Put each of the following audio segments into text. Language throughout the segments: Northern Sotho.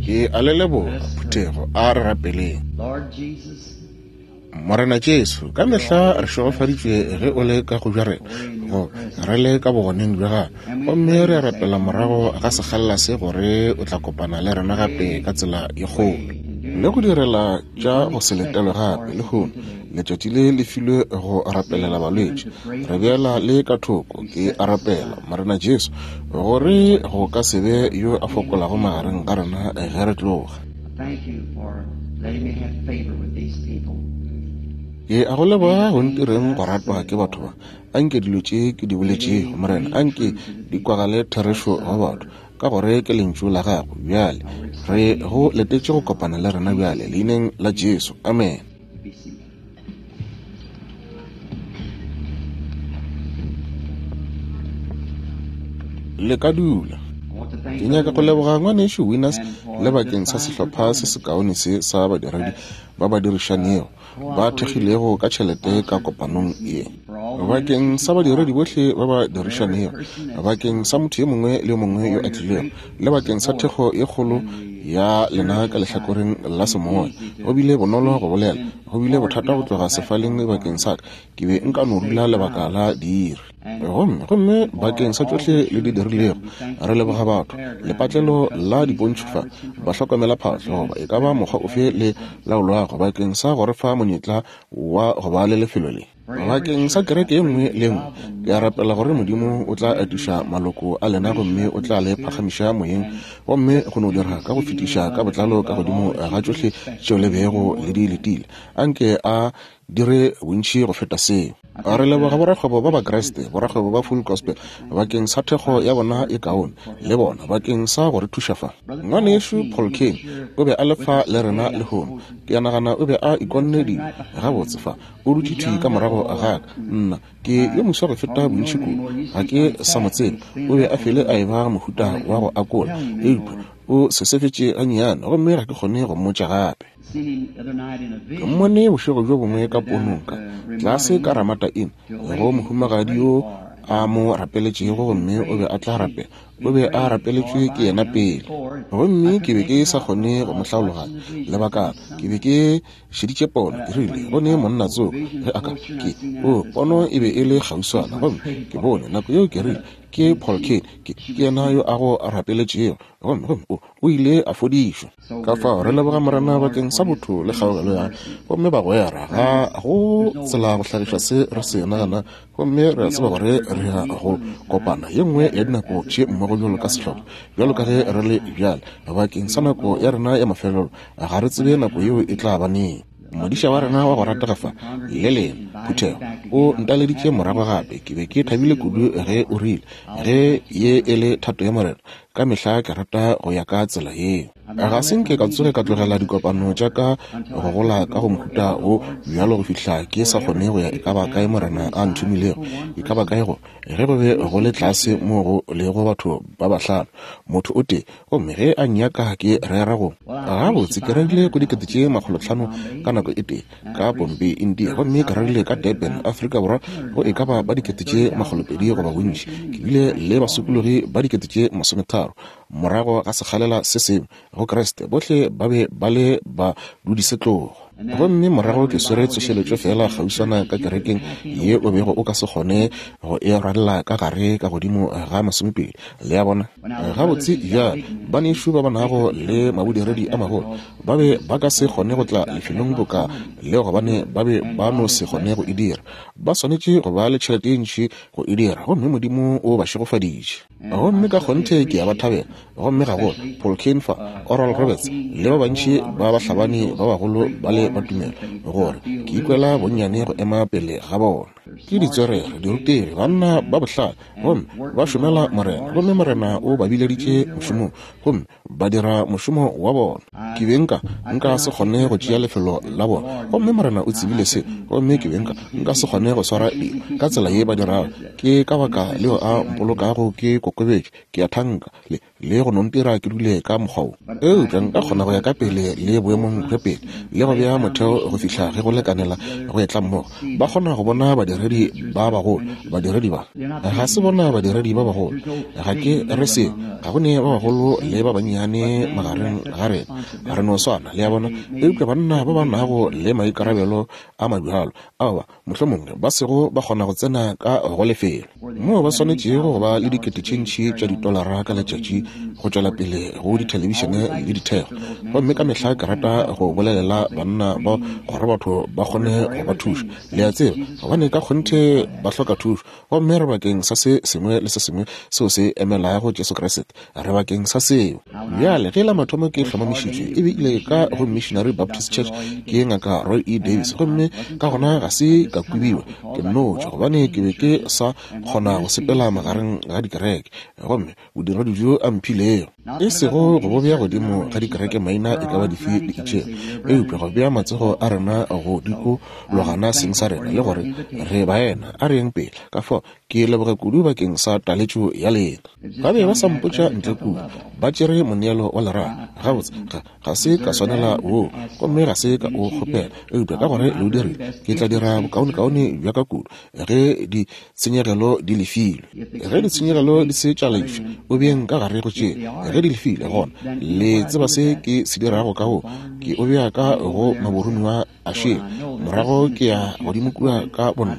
Ke a le leboga, phuthego. A re rapeleng. Morena Jesu, ka mehla re šegofaditšwe ge o le ka go bja rena, go re le ka bogoneng bja gago. Gomme re a rapela morago ga sekgalela se gore o tla kopana le rena gape ka tsela ye kgolo le go direla tša go se letelwe gape lehono. Letšatši le le filwe go rapelela balwetši. Re beela le ka thoko, ke a rapela, Morena Jesu, gore go ka se be yo a fokolago magareng ga rena ge re tloga. Ke a go leboga go ntireng go ratwa ke batho ba. Anke dilo tše ke di boletšego, Morena, anke di kwagale therešo go batho, ka gore ke Lentšu la Gago. Bjale re go letetše go kopana le rena bjale, Leineng la Jesu. Amene. Le ka dula. Ke nyaka go leboga ngwanešu Winners le bakeng sa sehlopha se sekaone se sa badiredi ba ba dirišanego ba thekgilego ka tšhelete ka kopanong ye. Bakeng sa badiredi bohle ba ba dirišanego, bakeng sa motho yo mongwe le yo mongwe yo a tlilego, le bakeng sa thekgo ye kgolo ya lena ka lehlakoreng la semoya. Go bile bonolo go bolela, go bile bothata go tloga sefaleng bakeng sa ka. Ke be nka no dula lebaka la diiri. Gomme, gomme bakeng sa tšohle le di dirilego, re leboga batho, lepatlelo la dipontšho fa, bahlokomelaphahlo, goba e ka ba mokgwa ofe le laolwago, bakeng sa go re fa monyetla wa go ba le lefelo le. Bakeng sa kereke ye nngwe le ye nngwe, ke a rapela gore Modimo o tla atiša maloko a lena gomme o tla le phagamiša moyeng, gomme go no dira ka go fetiša ka botlalo ka godimo ga tšohle tšeo le bego le di letile. Anke A dire bontši go feta seo. Re leboga borakgwebo ba Bakriste, borakgwebo ba Full Gospel, bakeng sa thekgo ya bona e kaone, le bona bakeng sa go re thuša fa. Ngwanešu Paul Cain o be a le fa le rena lehono. Ke a nagana o be a ikonne dilo gabotse fa. O dutše thwi ka morago ga ka. Nna, ke yo moswa go feta bontši kudu. Ga ke sa mo tseba. O be a fele a eba mohuta wa go akola, eupša o sesefetše gannyane, gomme ga ke kgone go mmotša gape. Ke mmone bošego bjo bongwe ka ponong ka tlase ka Ramada Inn, go mohumagadi yo a mo rapeletšego, gomme o be a tla rapela. O be a rapeletšwe ke yena pele. Gomme ke be ke sa kgone go mo hlaologanya lebakana. Ke be ke šeditše pono, ke rile, Go ne monna tsoko, ge a ka, ke, o, pono e be e le kgauswana, gomme ke bone, nako yeo ke rile, Ke Paul Cain, ke, ke yena yo a go rapeletšego, gomme, gomme o, o ile a fodišwa. Ka fao re leboga Morena bakeng sa botho le kgaogelo ya gomme bagwera, ga go tsela go hlagiša se re se nagana, gomme re a tseba gore re ya go kopana ye nngwe ya dinako tše mmogo bjalo ka sehlopha, bjalo ka ge re le bjale, bakeng sa nako ya rena ya mafelelo. Ga re tsebe nako yeo e tla ba neng. Modiša wa rena wa go ratega fa, le lena, phuthego, o ntaleditše morago gape. Ke be ke thabile kudu ge o rile, Ge ye e le thato ya Morena, ka mehla ke rata go ya ka tsela yeo. Ga se nke ka tsoge ka tlogela dikopano tša ka go gola ka go mohuta wo bjalo go fihla ke sa kgone go ya e ka ba kae Morena a nthomilego, e ka ba kae go ge go be go le tlase mo go lego batho ba bahlano, motho o tee, gomme ge a nnyaka ke rera go. Gabotse, ke rerile go dikete tše makgolotlhano ka nako e tee, ka Bombay, India, gomme ke rerile ka Durban, Afrika Borwa, go e ka ba ba dikete tše makgolopedi goba bontši. Ke bile le basokologi ba dikete tše masometharo morago ga sekgalela se sengwe go Kriste, bohle ba be ba le badudisetlogo. Gomme morago ke swere tsošeletšo feela kgauswana ka kerekeng ye o bego o ka se kgone go e rwalela ka gare ka godimo ga masomepedi. Le a bona? Gabotse, bjale, banešu ba ba nago le mabodiredi a magolo ba be ba ka se kgone go tla lefelong boka le gobane ba be ba no se kgone go e dira. Ba swanetše go ba le tšhelete ye ntši go e dira, gomme Modimo o ba šegofaditše. Gomme ka kgonthe ke a ba thabela, gomme gagolo Paul Cain fa, Oral Roberts, le ba bantši ba bahlabani ba bagolo bale ba tumelo, gore ke ikwela bonnyane go ema pele ga bona. Ke ditswerere, dirutegi, banna ba bohlale, gomme ba šomela Morena, gomme Morena o ba bileditše mošomong, gomme ba dira mošomo wa bona. Ke be nka, nka se kgone go tšea lefelo la bona, gomme Morena o tsebile se, gomme ke be nka, nka se kgone go swara dilo ka tsela ye ba dirago. Ke ka baka leo A mpolokago ke kokobetše, ke a thanka. Le, le go no ntira ke dule ka mokgwa wo. Eupša nka kgona go ya ka pele le boemong bja pele, le go bea motheo go fihla ge go lekanela go etla mmogo. Ba kgona go bona badiredi ba bagolo, badiredi ba. Ga se bona badiredi ba bagolo. Ga ke re seo. Ga go ne ba bagolo le ba bannyane magareng ga rena. Re no swana, le a bona. Eupša banna ba ba nago le maikarabelo a mabjalo, ao ba, mohlomongwe ba sego ba kgona go tsena ka go lefelo moo ba swanetšego go ba le dikete tše ntši tša ditolara ka letšatši go tšwela pele go dithelebišene le dithekgo. Gomme ka mehla ke rata go bolelela banna ba gore batho ba kgone go ba thuša, le a tseba, gobane ka kgonthe ba hloka thušo. Gomme re bakeng sa se sengwe le se sengwe seo se emelago Jesu Kriste. Re bakeng sa seo. Bjale, ge la mathomo ke hlomamišitšwe, e be ile ka go Missionary Baptist Church ke Ngaka Roy E. Davis, gomme ka gona ga se ka kwebiwa ke nno tšwa, gobane ke be ke sa kgona go sepela magareng ga dikereke. Gomme bodiredi bjo a mphilego, e sego go bo bea godimo ga dikereke maina e ka ba dife di itšego, eupša go bea matsogo a rena go dikologana seng sa rena le gore re baena, a re yeng pele. Ka fao ke leboga kudu bakeng sa taletšo ya lena. Ba be ba sa mpotša ntle kua, ba tšere moneelo wa lerato. Gabotse, ga, ga se ka swanela woo, gomme ga se ka o kgopela, eupša ka gore le o dirile, ke tla dira bokaonekaone bja ka kudu ge ditshenyegelo di lefilwe. Ge ditshenyegelo di se tša lefša, o beeng ka gare go tše. Ge di lefilwe, gona le tseba se ke se dirago ka wo, ke o bea ka go maboromiwa a šele. Morago ke ya godimo kua ka bonna,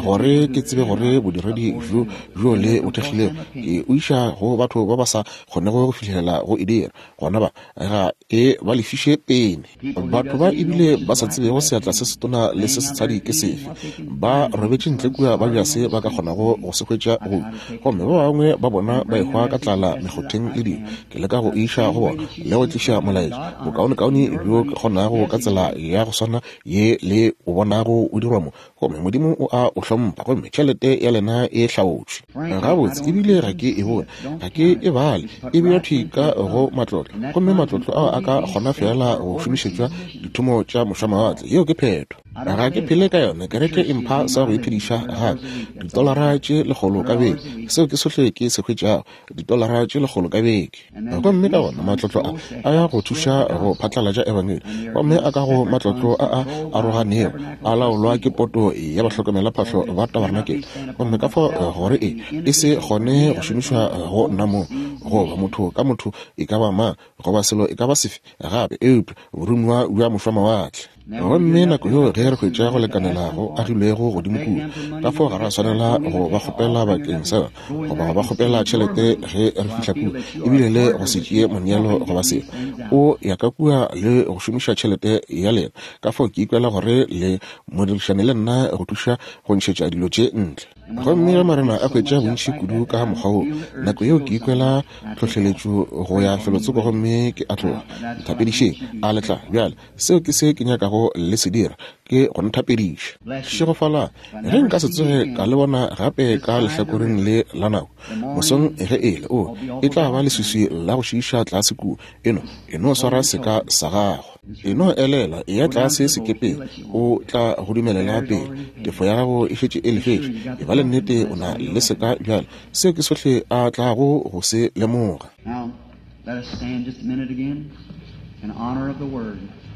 gore ke tsebe gore bodiredi bjo bjo le bo thekgilego, ke o iša go batho ba ba sa kgonego go fihlelela go e dira. Gona ba ga e ba lefiše pene. Batho ba ebile ba sa tsebego seatla se setona le se setshadi ke sefe, ba robetše ntle kua ba bja se ba ka kgonago go se hwetša go. Gomme ba bangwe ba bona ba ehwa ka tlala mekgotheng le dilo. Ke leka go iša go bona le go tliša molaetša bokaonekaone bjo ke kgonago ka tsela ya go swana ye le o bonago o dirwa mo. Gomme Modimo o a o hlompha, gomme tšhelete ya lena e hlaotšwe. Gabotse, ebile ga ke e bone, ga ke e bale, e bewa thwi ka go matlotlo, gomme matlotlo ao a ka kgona feela go šomišetšwa dithomo tša mošwamawatle. Yeo ke phetho. Ga ke phele ka yona, kereke e mpha sa go iphediša gape, ditolara tše lekgolo ka beke, seo ke sohle ke se hwetšago, ditolara tše lekgolo ka beke. Gomme ka gona matlotlo a a ya go thuša go phatlalatša ebangedi, gomme a ka go matlotlo a a aroganego a laolwa ke poto ya bahlokomelaphahlo ba tabarenakele. Gomme ka fao gore e e se kgone go šomišwa go nna mong, goba motho ka motho e ka ba mang, goba selo e ka ba sefe gape eupša boromiwa bja mošwamawatle. Gomme nako yeo ge re hwetša go lekanela go agilwego godimo kua, ka fao ga ra swanela go ba kgopela bakeng sa yona, goba go ba kgopela tšhelete ge re fihla kua, ebile le go se tšee moneelo goba selo. O ya ka kua le go šomiša tšhelete ya lena. Ka fao ke ikwela gore le modirišane le nna go thuša go ntšhetša dilo tše ntle. Gomme ge Morena a hwetša bontši kudu ka mokgwa wo, nako yeo ke ikwela tlhohleletšo go ya felotsoko gomme ke a tloga. Nthapedišeng, a le tla? Bjale, seo ke se ke nyakago le se dira, ke go nthapediša. Šegofalang. Ge nka se tsoge ka le bona gape ka lehlakoreng le la nako, mosong ge e le, o, e tla ba leswiswi la go šiiša tlase kua. E no, e no swara seka sa gago. E no elela, eya tlase sekepeng, o tla go dumelela pele. Tefo ya gago e šetše e lefetšwe. E ba le nnete o na le seka bjale. Seo ke sohle a tlago go se lemoga.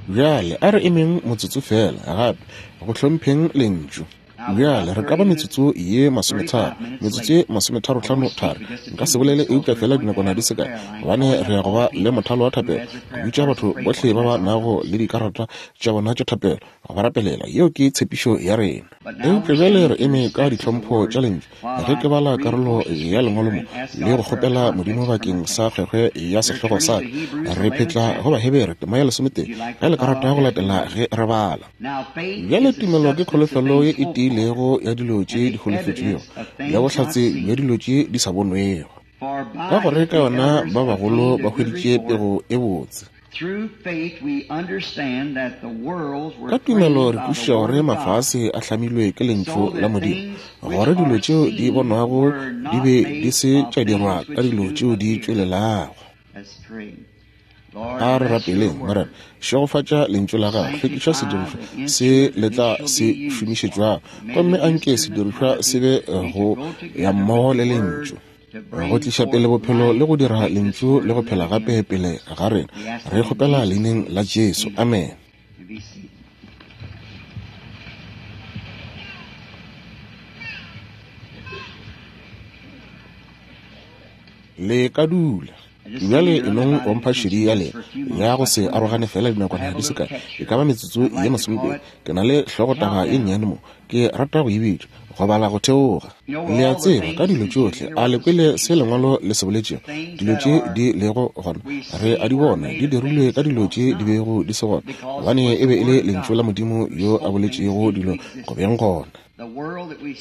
Bjale a re emeng motsotso feela gape go hlompheng Lentšu. Bjale, re ka ba metsotso ye masometharo, metsotso ye masometharotlhano thari. Nka se bolele eupša feela dinakwana di se kae, gobane re ya go ba le mothalo wa thapelo, go bitša batho bohle ba ba nago le dikarata tša bona tša thapelo, go ba rapelela. Yeo ke tshepišo ya rena. Eupša bjale re eme ka ditlhompho tša Lentšu, ge ke bala karolo ya Lengwalo mo, le go kgopela Modimo bakeng sa kgwekgwe ya sehlogo sa ka. Re phetla go Bahebere, tema ya lesometee, ge le ka rata go latela ge re bala. Bjale tumelo ke kholofelo ye e tiilego ya dilo tše di holofetšwego, ya bohlatse bja dilo tše di sa bonwego. Ka gore ka yona ba bagolo ba hweditše pego e botse. Ka tumelo re kwešiša gore mafase a hlamilwe ke lentšu la Modimo, gore dilo tšeo di bonwago di be di se tša dirwa ka dilo tšeo di tšwelelago. A re rapeleng. Morena, šegofatša Lentšu la Gago. Hlwekiša sedirišwa se le tla se šomišetšwago, gomme a nke sedirišwa se be go ya mmogo le Lentšu. Go tliša pele bophelo le go dira Lentšu le go phela gape pele ga rena. Re kgopela Leineng la Jesu. Amene. Le ka dula. Bjale e nong go mpha šedi ya lena ya go se arogane fela dinakwana di se kae, e ka ba metsotso ye masomepedi. Ke na le hlogotaba ye nnyane mo, ke rata go e bitša, Go Bala Go Theoga. Le a tseba, ka dilo tšohle, a le kwele se Lengwalo le se boletšego? Dilo tše di lego gona, re a di bona, di dirilwe ka dilo tše di bego di se gona, gobane e be e le Lentšu la Modimo yo a boletšego dilo go beng gona.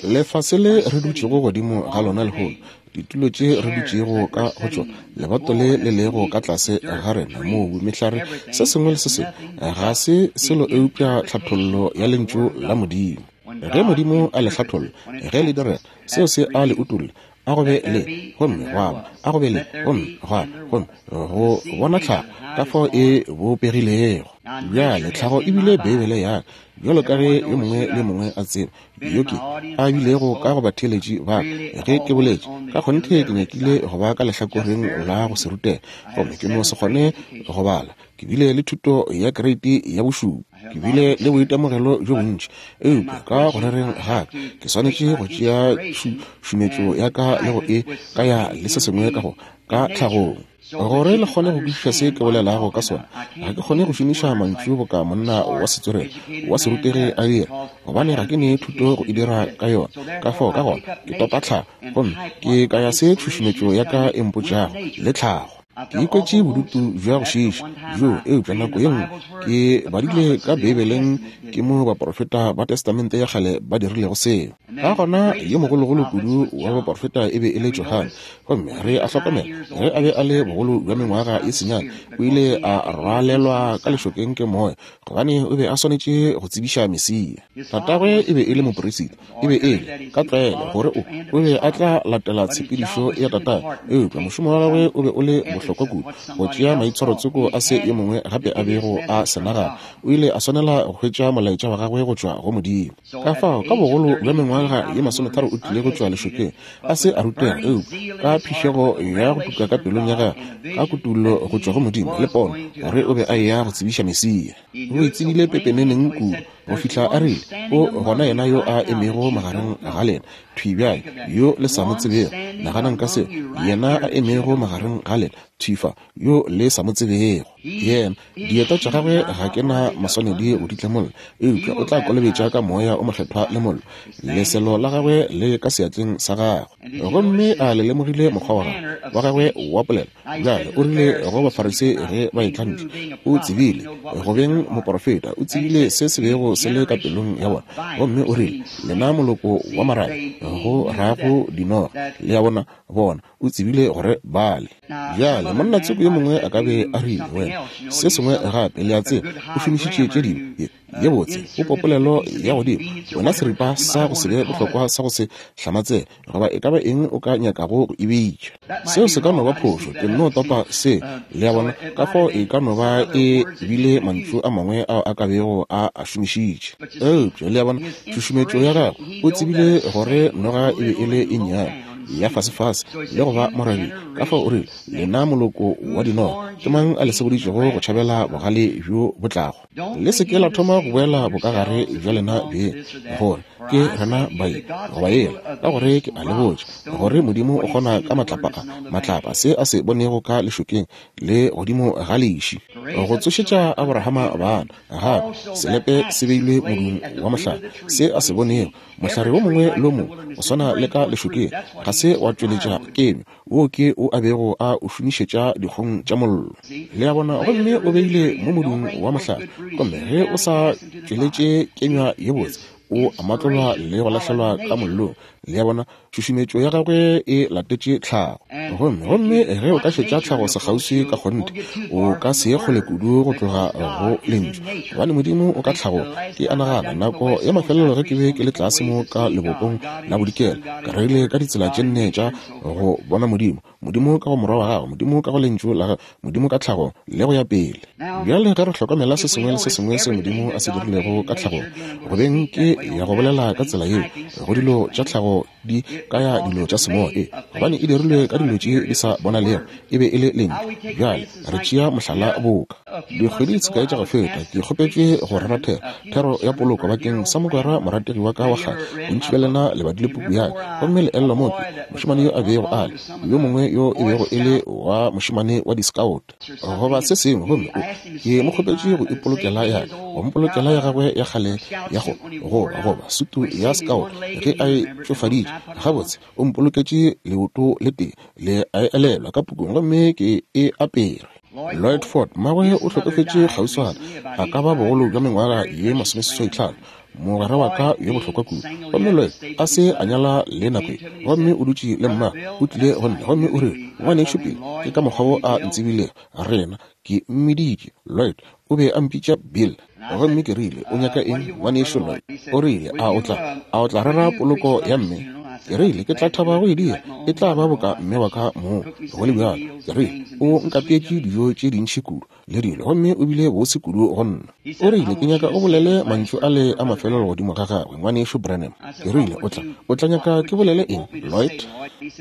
Lefase le re dutšego godimo ga lona lehono, ditulo tše re dutšego ka go tšona, lebato le le lego ka tlase ga rena, mobu, mehlare, se sengwe le se sengwe, ga se selo eupša tlhathollo ya Lentšu la Modimo. Ge Modimo a le hlatholla, ge le direga, seo se a le utolla, a go be le, gomme gwa ba, a go be le, gomme gwa ba, gomme go bona tlhago ka fao e bopegilego. Bjale, tlhago e bile Beibele ya ka, bjalo ka ge yo mongwe le yo mongwe a tseba, yo ke a bilego ka go batheeletši ba ka ge ke boletše. Ka kgonthe ke nyakile go ba ka lehlakoreng la go se rutege, gomme ke no se kgone go bala. Ke bile le thuto ya kereiti ya bošupa. Ke bile le boitemogelo bjo bontši, eupša ka go rereng ga ka ke swanetše go tšea tšhušumetšo ya ka le go e kaya le se sengwe ka go ka tlhagong. Gore le kgone go kwešiša se ke bolelago ka sona, ga ke kgone go šomiša mantšu boka monna wa setswerere wa serutegi a dira, gobane ga ke ne thuto go e dira ka yona. Ka fao ka gona ke topa tlhago gomme ke kaya se tšhušumetšo ya ka e mpotšago le tlhago. Ke ikwetše bodutu bja go šiiša bjoo, eupša nako ye nngwe ke badile ka Beibeleng ke mo baporofeta ba Testamente ya Kgale ba dirilego seo. Ka gona yo mogologolo kudu wa baporofeta e be e le Johane, gomme re a hlokomela ge a be a le bogolo bja mengwaga ye senyane o ile a rwalelwa ka lešokeng ke moya, gobane o be a swanetše go tsebiša Mesia. Tatagwe e be e le moperisita. E be e le, ka tlwaelo, gore o, o be a tla latela tshepedišo ya tatagwe, eupša mošomo wa gagwe o be o le bohlokwa kudu go tšea maitshwarotsoko a se yo mongwe gape a bego a se nagana. O ile a swanela go hwetša molaetša wa gagwe go tšwa go Modimo. Ka fao, ka bogolo bja mengwaga ye masometharo o tlile go tšwa lešokeng, a se a rutega, eupša ka phišego ya go tuka ka pelong ya gagwe, ka kutollo go tšwa go Modimo le pono gore o be a eya go tsebiša Mesia. O e tsebile pepeneneng kudu go fihla a rile, O gona yena yo a emego magareng ga lena, thwi bjale, yo le sa mo tsebego. Naganang ka seo, yena a emego magareng ga lena, thwi fa, yo le sa mo tsebego. Yena, dieta tša gagwe ga ke na maswanedi go di tlemolla, eupša o tla kolobetša ka Moya o Mokgethwa le mollo. Leselo la gagwe le ka seatleng sa gagwe. Gomme a le lemogile mokgwa wa gagwe, wa gagwe wa polelo? Bjale, o rile go Bafarisei ge ba etla ntle, o tsebile, go beng moporofeta, o tsebile se se bego se le ka pelong ya bona. Gomme o rile, Lena moloko wa marabe, go rago dinoga. Le a bona, bona, o tsebile gore bale. Bjale, monna tsoko yo mongwe a ka be a rile, Wena, se sengwe gape, le a tseba, o šomišitše tše dingwe. Ye botse, popopolelo ya godimo, wena seripa sa go se be bohlokwa sa go se hlamatsege, goba e ka ba eng o ka nyakago go e bitša. Seo se ka no ba phošo, ke nno topa se, le a bona, ka fao e ka no ba e bile mantšu a mangwe ao a ka bego a a šomišitše. Eupša, le a bona, tšhušumetšo ya gagwe, o tsebile gore noga e be e le e nnyane, ya fasefase, le go ba morabi, ka fao o rile, Lena moloko wa dinoga, ke mang a le seboditšego go tšhabela bogale bjo bo tlago? Le se ke la thoma go boela bokagare bja lena beng, gore ke rena bai goba yela, ka gore ke a le botša gore Modimo o kgona ka matlapa a, matlapa, se a se bonego ka lešokeng le godimo ga leši, go tsošetša Aborahama bana. Gape, selepe se beilwe modung wa mohlare, se a se bonego, mohlare wo mongwe le wo mongwe, go swana le ka lešokeng, ga se wa tšweletša kenywa. Wo ke o a bego a o šomišetša dikgong tša mollo. Le a bona, gomme o beile mo modung wa mohlare, gomme ge o sa tšweletše kenywa ye botse, o a matlolwa le go lahlelwa ka mollong. Le a bona, tšhušumetšo ya gagwe e latetše tlhago. Gomme, gomme ge o ka šetša tlhago sekgauswi ka kgonthe, o ka se ye kgole kudu go tloga go Lentšu, gobane Modimo o ka tlhagong. Ke a nagana, nako ya mafelelo ge ke be ke le tlase mo ka Lebopong la Bodikela, ke rerile ka ditsela tše nne tša go bona Modimo, Modimo ka go Morwa wa Gagwe, Modimo ka go Lentšu la Gagwe, Modimo ka tlhagong, le go ya pele. Bjale ge re hlokomela se sengwe le se sengwe se Modimo a se dirilego ka tlhagong, go beng ke ya go bolela ka tsela yeo go dilo tša tlhago tlhago di kaya dilo tša semoya, e gobane e dirilwe ka dilo tše di sa bonalego, e be e le lentšu. Bjale re tšea mohlala boka. Dikgwedi tse kae tša go feta, ke kgopetšwe go rera thero, thero ya poloko bakeng sa mogwera morategi wa ka wa kgale. Bontši bja lena le badile puku ya ka, gomme le elelwa moo ke, mošemane yo a bego a le, yo mongwe yo e bego e le wa mošemane wa di-scout goba se sengwe, gomme o, ke mo kgopetše go ipolokela ya ka, go mpolokela ya gagwe ya kgale ya go goba, goba sutu ya scout ge a e tšofaditše. Gabotse, o mpoloketše leoto le tee, le a e elelwa ka pukung, gomme ke e apere. Lloyd Ford, mmagwe o hlokofetše kgauswana, a ka ba bogolo bja mengwaga ye 85, mogwera wa ka yo bohlokwa kudu. Gomme Lloyd a se a nyala le nako ye, gomme o dutše le mmagwe, o tlile go nna gomme o rile, Ngwanešu Bill, ke ka mokgwa wo a ntsebilego, rena, ke mmiditše Lloyd, o be a mpitša Bill. Gomme ke rile, O nyaka eng, Ngwanešu Lloyd? O rile, A o tla, a o tla rera poloko ya mme? Ke rile, Ke tla thaba go e dira. E tla ba boka mme wa ka mong, go le bjalo. Ke rile, O nkapeetše dijo tše dintši kudu le dilo, gomme o bile bose kudu go nna. O rile, Ke nyaka o bolele mantšu ale a mafelelo godimo ga gagwe, Ngwanešu Branham. Ke rile, O tla, o tla nyaka ke bolele eng, Lloyd?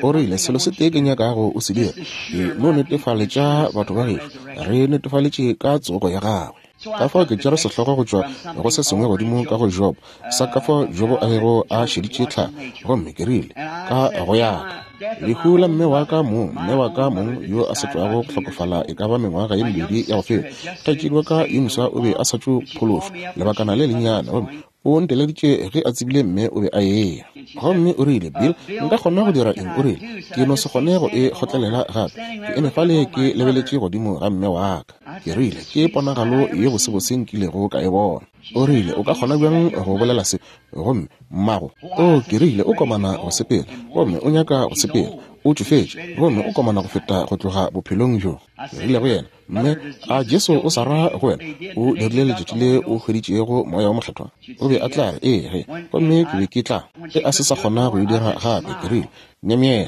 O rile, Selo se tee ke nyakago o se dira, ke no netefaletša batho ba gešo, re netefaletše ka tsogo ya gagwe. Ka fao ke tšere sehlogo go tšwa go se sengwe godimo ka go Jobo, sa ka fao Jobo a bego a šeditše tlhago, gomme ke rile, Ka go ya ka lehu la mme wa ka mong, mme wa ka mong yo a sa tšwago go hlokofala e ka ba mengwaga ye mebedi ya go feta, kgaetšedi wa ka yo moswa o be a sa tšo phološwa lebakana le lennyane, gomme o nteleditše ge a tsebile mme o be a eya. Gomme o rile, Bill, nka kgona go dira eng? O rile, Ke no se kgone go e kgotlelela gape. Ke eme fale ke lebeletše godimo ga mme wa ka. Ke rile, Ke ponagalo ye bosebose nkilego ka e bona. O rile, O ka kgona bjang go bolela se? Gomme mmago, o, ke rile, o komana go sepela, gomme o nyaka go sepela. O tšofetše, gomme o komana go feta go tloga bophelong bjo. Ke rile go yena, Mme, a Jesu o sa ra go wena, o dirile letšatši le o hweditšego Moya wo Mokgethwa? O be a tla re, Ee, ge. Gomme ke be ke tla. Ge a se sa kgona go e dira gape, ke rile, Myemyela.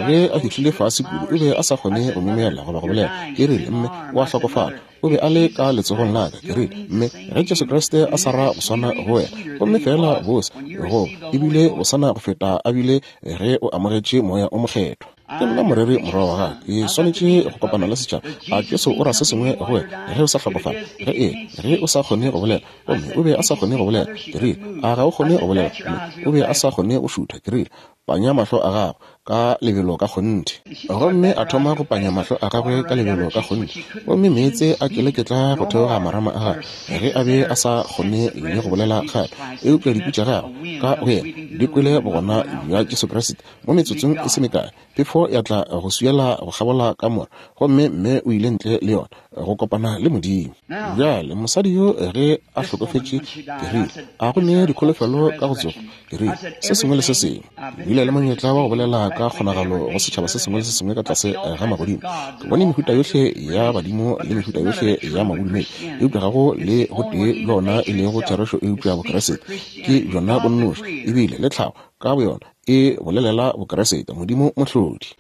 Ge a fihlile fase kudu, o be a sa kgone go myemyela goba go bolela. Ke rile, Mme, o a hlokofala. O be a le ka letsogong la ka. Ke rile, Mme, ge Jesu Kriste a sa ra go swana go wena, gomme feela bose, goba ebile go sana go feta a bile ge o amogetše Moya o Mokgethwa. Ke nna moreri morwa wa gagwe. Ke swanetše go kopana le setšhaba. A Jesu o ra se sengwe go wena ge o sa hlokofala? Ge ee, ge o sa kgone go bolela, gomme o be a sa kgone go bolela. Ke rile, A ga o kgone go bolela? Gomme o be a sa kgone go šutha. Ke rile, Panya mahlo a gago ka lebelo ka kgonthe. Gomme a thoma go panya mahlo a gagwe ka lebelo ka kgonthe, gomme meetse a keleketla go theoga marama a gagwe ge a be a sa kgone le go bolela gape. Eupša dikwi tša gagwe ka go yena di kwele bogona bja Jesu Kriste. Mo metsotsong e se mekae, phefo ya tla go swiela go kgabola kamora, gomme mme o ile ntle le yona go kopana le Modimo. Bjale, mosadi yo ge a hlokofetše, ke rile, a go ne dikholofelo ka go tsogo? Ke rile, se sengwe le se sengwe. Ke bile le monyetla wa go bolela ka kgonagalo go setšhaba se sengwe le se sengwe ka tlase ga magodimo. Ke bone mehuta yohle ya badimo le mehuta yohle ya mabodumedi, eupša ga go le go tee bja ona e lego therešo eupša Bokriste. Ke bjona bo nnoši, ebile le tlhago ka boyona e bolelela Bokriste, Modimo Mohlodi.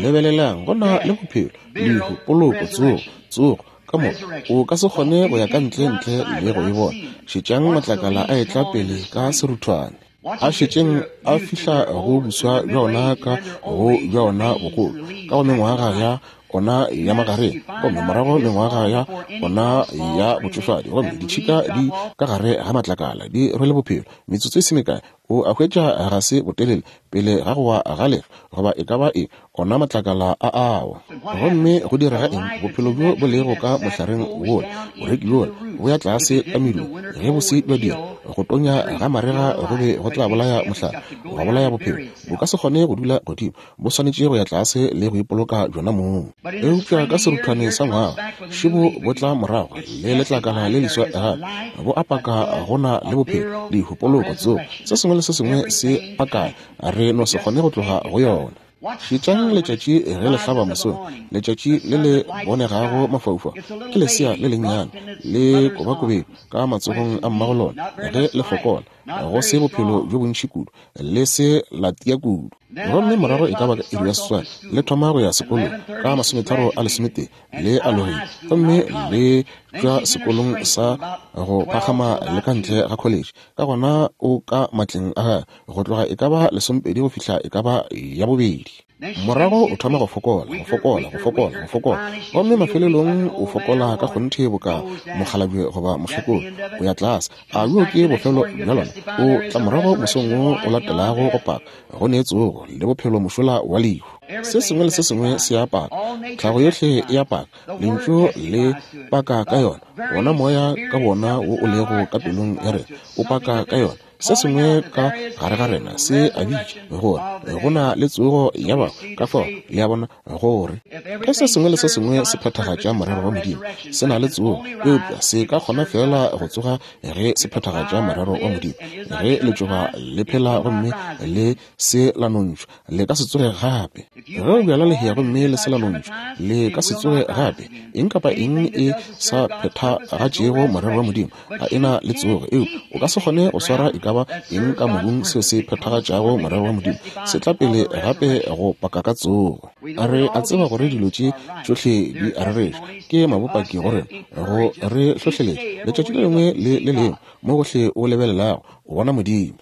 Lebelelang, go na le bophelo, lehu, poloko, tsogo, tsogo, ka moka. O ka se kgone go ya ka ntle ntle le go e bona. Šetšang matlakala a etla pele ka seruthwane. A šetšeng a fihla go buswa bja ona ka go bja ona bogolo, ka go mengwaga ya ona ya magareng, gomme morago mengwaga ya ona ya botšofadi, gomme ditšhika di ka gare ga matlakala di rwele bophelo. Metsotso e se mekae, o a hwetša ga se botelele pele ga go wa ga lefa goba e ka ba eng, ona matlakala a awa. Gomme go direga eng? Bophelo bjo bo lego ka mohlareng wola, boreki bjola, bo ya tlase ka medung. Ge bo se bja dira, go tonya ga marega go be go tla bolaya mohlare, gwa bolaya bophelo. Bo ka se kgone go dula godimo, bo swanetše go ya tlase le go ipoloka bjona mong. Eupša ka seruthwane sa ngwaga, šebo bo tla morago le letlakala le leswa gape, bo a paka go na le bophelo, lehu, poloko, tsogo, se sengwe le se sengwe se pakane, re no se kgone go tloga go yona. Šetšang letšatši ge le hlaba mosong, letšatši le le bonegago mafaufau ke lesea le lennyane le kobakobetšwe ka matsogong a mmago lona ge le fokola. Go se bophelo bjo bontši kudu, le se la tia kudu. Gomme morago e ka ba ka iri ya 8 le thoma go ya sekolong, ka 31 le alogile, gomme le tšwa sekolong sa go phagama le ka ntle ga college. Ka gona o ka matleng a gagwe go tloga e ka ba 12 go fihla e ka ba ya bobedi. Morago o thoma go fokola, go fokola, go fokola, go fokola, gomme mafelelong o fokola ka kgonthe boka mokgalabje goba mokgekolo, o ya tlase. A bjo ke bofelo bja lona? O tla morago mosong wo o latelago go paka, go ne tsogo le bophelo mošola wa lehu. Se sengwe le se sengwe se a paka, tlhago yohle e a paka, lentšu le paka ka yona, wona moya ka bona wo o lego ka pelong ya rena o paka ka yona. Se sengwe ka gare ga rena se a bitša gore go na le tsogo ya bahu. Ka fao le a bona gore ge se sengwe le se sengwe se phethagatša morero wa Modimo, se na le tsogo, eupša se ka kgona feela go tsoga ge se phethagatša morero wa Modimo. Ge letšoba le phela gomme le se la nontšhwa, le ka se tsoge gape. Ge o bjala lehea gomme le se la nontšhwa, le ka se tsoge gape. Eng kapa eng e sa phethagatšego morero wa Modimo ga e na le tsogo, eupša o ka se kgone go swara e ka ba eng ka mobung seo se phethagatšago morero wa Modimo. Se tla pele gape go paka ka tsogo. Re a tseba gore dilo tše tšohle di a rereša, ke mabopaki go rena, go re hlohleletša letšatši le lengwe le le lengwe. Mo gohle o lebelelago o bona Modimo.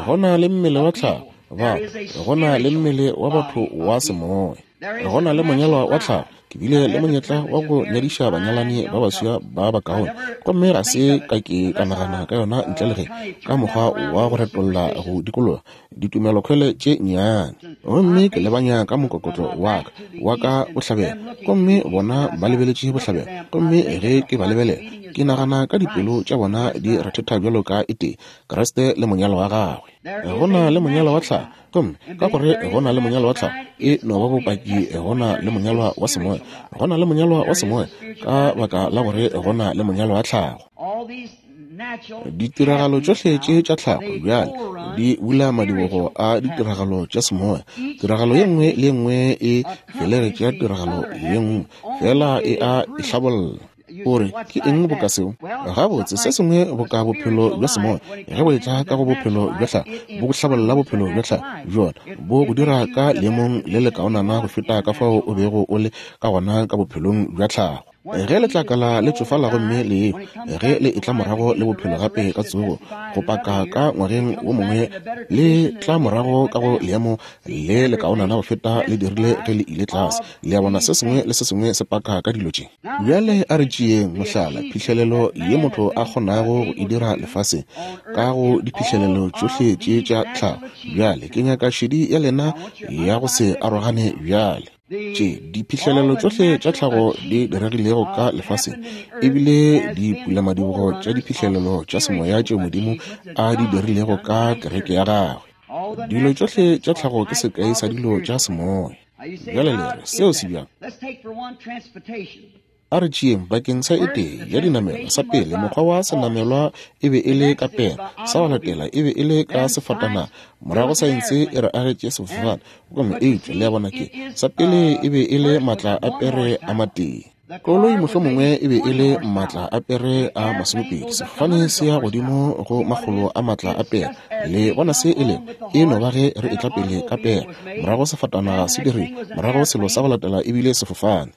Go na le mmele wa tlhago batho, go na le mmele wa batho wa semoya, go na le monyalwa wa tlhago. Ke bile le monyetla wa go nyadiša banyalani ba baswa ba bakaone, gomme ga se ka ke ka nagana ka yona ntle le ge ka mokgwa wa go retolla go dikologa ditumelokhwele tše nnyane. Gomme ke lebanya ka mokokotlo wa ka wa ka bohlabela, gomme bona ba lebeletše bohlabela, gomme ge ke ba lebelela ke nagana ka dipelo tša bona di rethetha bjalo ka e tee, Kriste le monyalwa wa gagwe. Go na le monyalwa wa tlhago, gomme ka gore go na le monyalwa wa tlhago e no ba bopaki go na le monyalwa wa semoya. Go na le monyalwa wa semoya ka baka la gore go na le monyalwa wa tlhago. Ditiragalo tšohle tše tša tlhago bjale di bula madibogo a ditiragalo tša semoya. Tiragalo ye nngwe le ye nngwe e felegetša tiragalo ye nngwe, fela e a e hlabolla. O re, ke eng boka seo? Gabotse, se sengwe boka bophelo bja semoya, ge bo etla ka go bophelo bja tlhago, bo go hlabolla bophelo bja tlhago bjona, bo go dira ka leemong le lekaonana go feta ka fao o bego o le ka gona ka bophelong bja tlhago. Ge letlakala le tšofala gomme le ehwa, ge le etla morago le bophelo gape ka tsogo, go paka ka ngwageng wo mongwe, le tla morago ka go leemo le lekaonana go feta le dirile ge le ile tlase. Le a bona, se sengwe le se sengwe se paka ka dilo tše. Bjale a re tšeeng mohlala, phihlelelo ye motho a kgonago go e dira lefaseng ka go diphihlelelo tšohle tše tša tlhago. Bjale ke nyaka šedi ya lena ya go se arogane bjale. Tše diphihlelelo tšohle tša tlhago di diregilego ka lefaseng ebile dipulamadibogo tša diphihlelelo tša semoya tšeo Modimo a di dirilego ka kereke ya gagwe. Dilo tšohle tša tlhago ke sekai sa dilo tša semoya. Bjale le re, seo se bjang? A re tšeeng bakeng sa e tee ya dinamelwa. Sa pele, mokgwa wa senamelwa e be e le ka pere, sa go latela e be e le ka sefatanaga, morago saense e re agetše sefofane. Gomme eupša le a bona ke, sa pele e be e le maatla a pere a matee. Koloi mohlomongwe e be e le maatla a pere a 20, sefofane se ya godimo go makgolo a maatla a pere. Le bona se e lego? E no ba ge re etla pele ka pere, morago sefatanaga se dirile, morago selo sa go latela e bile sefofane.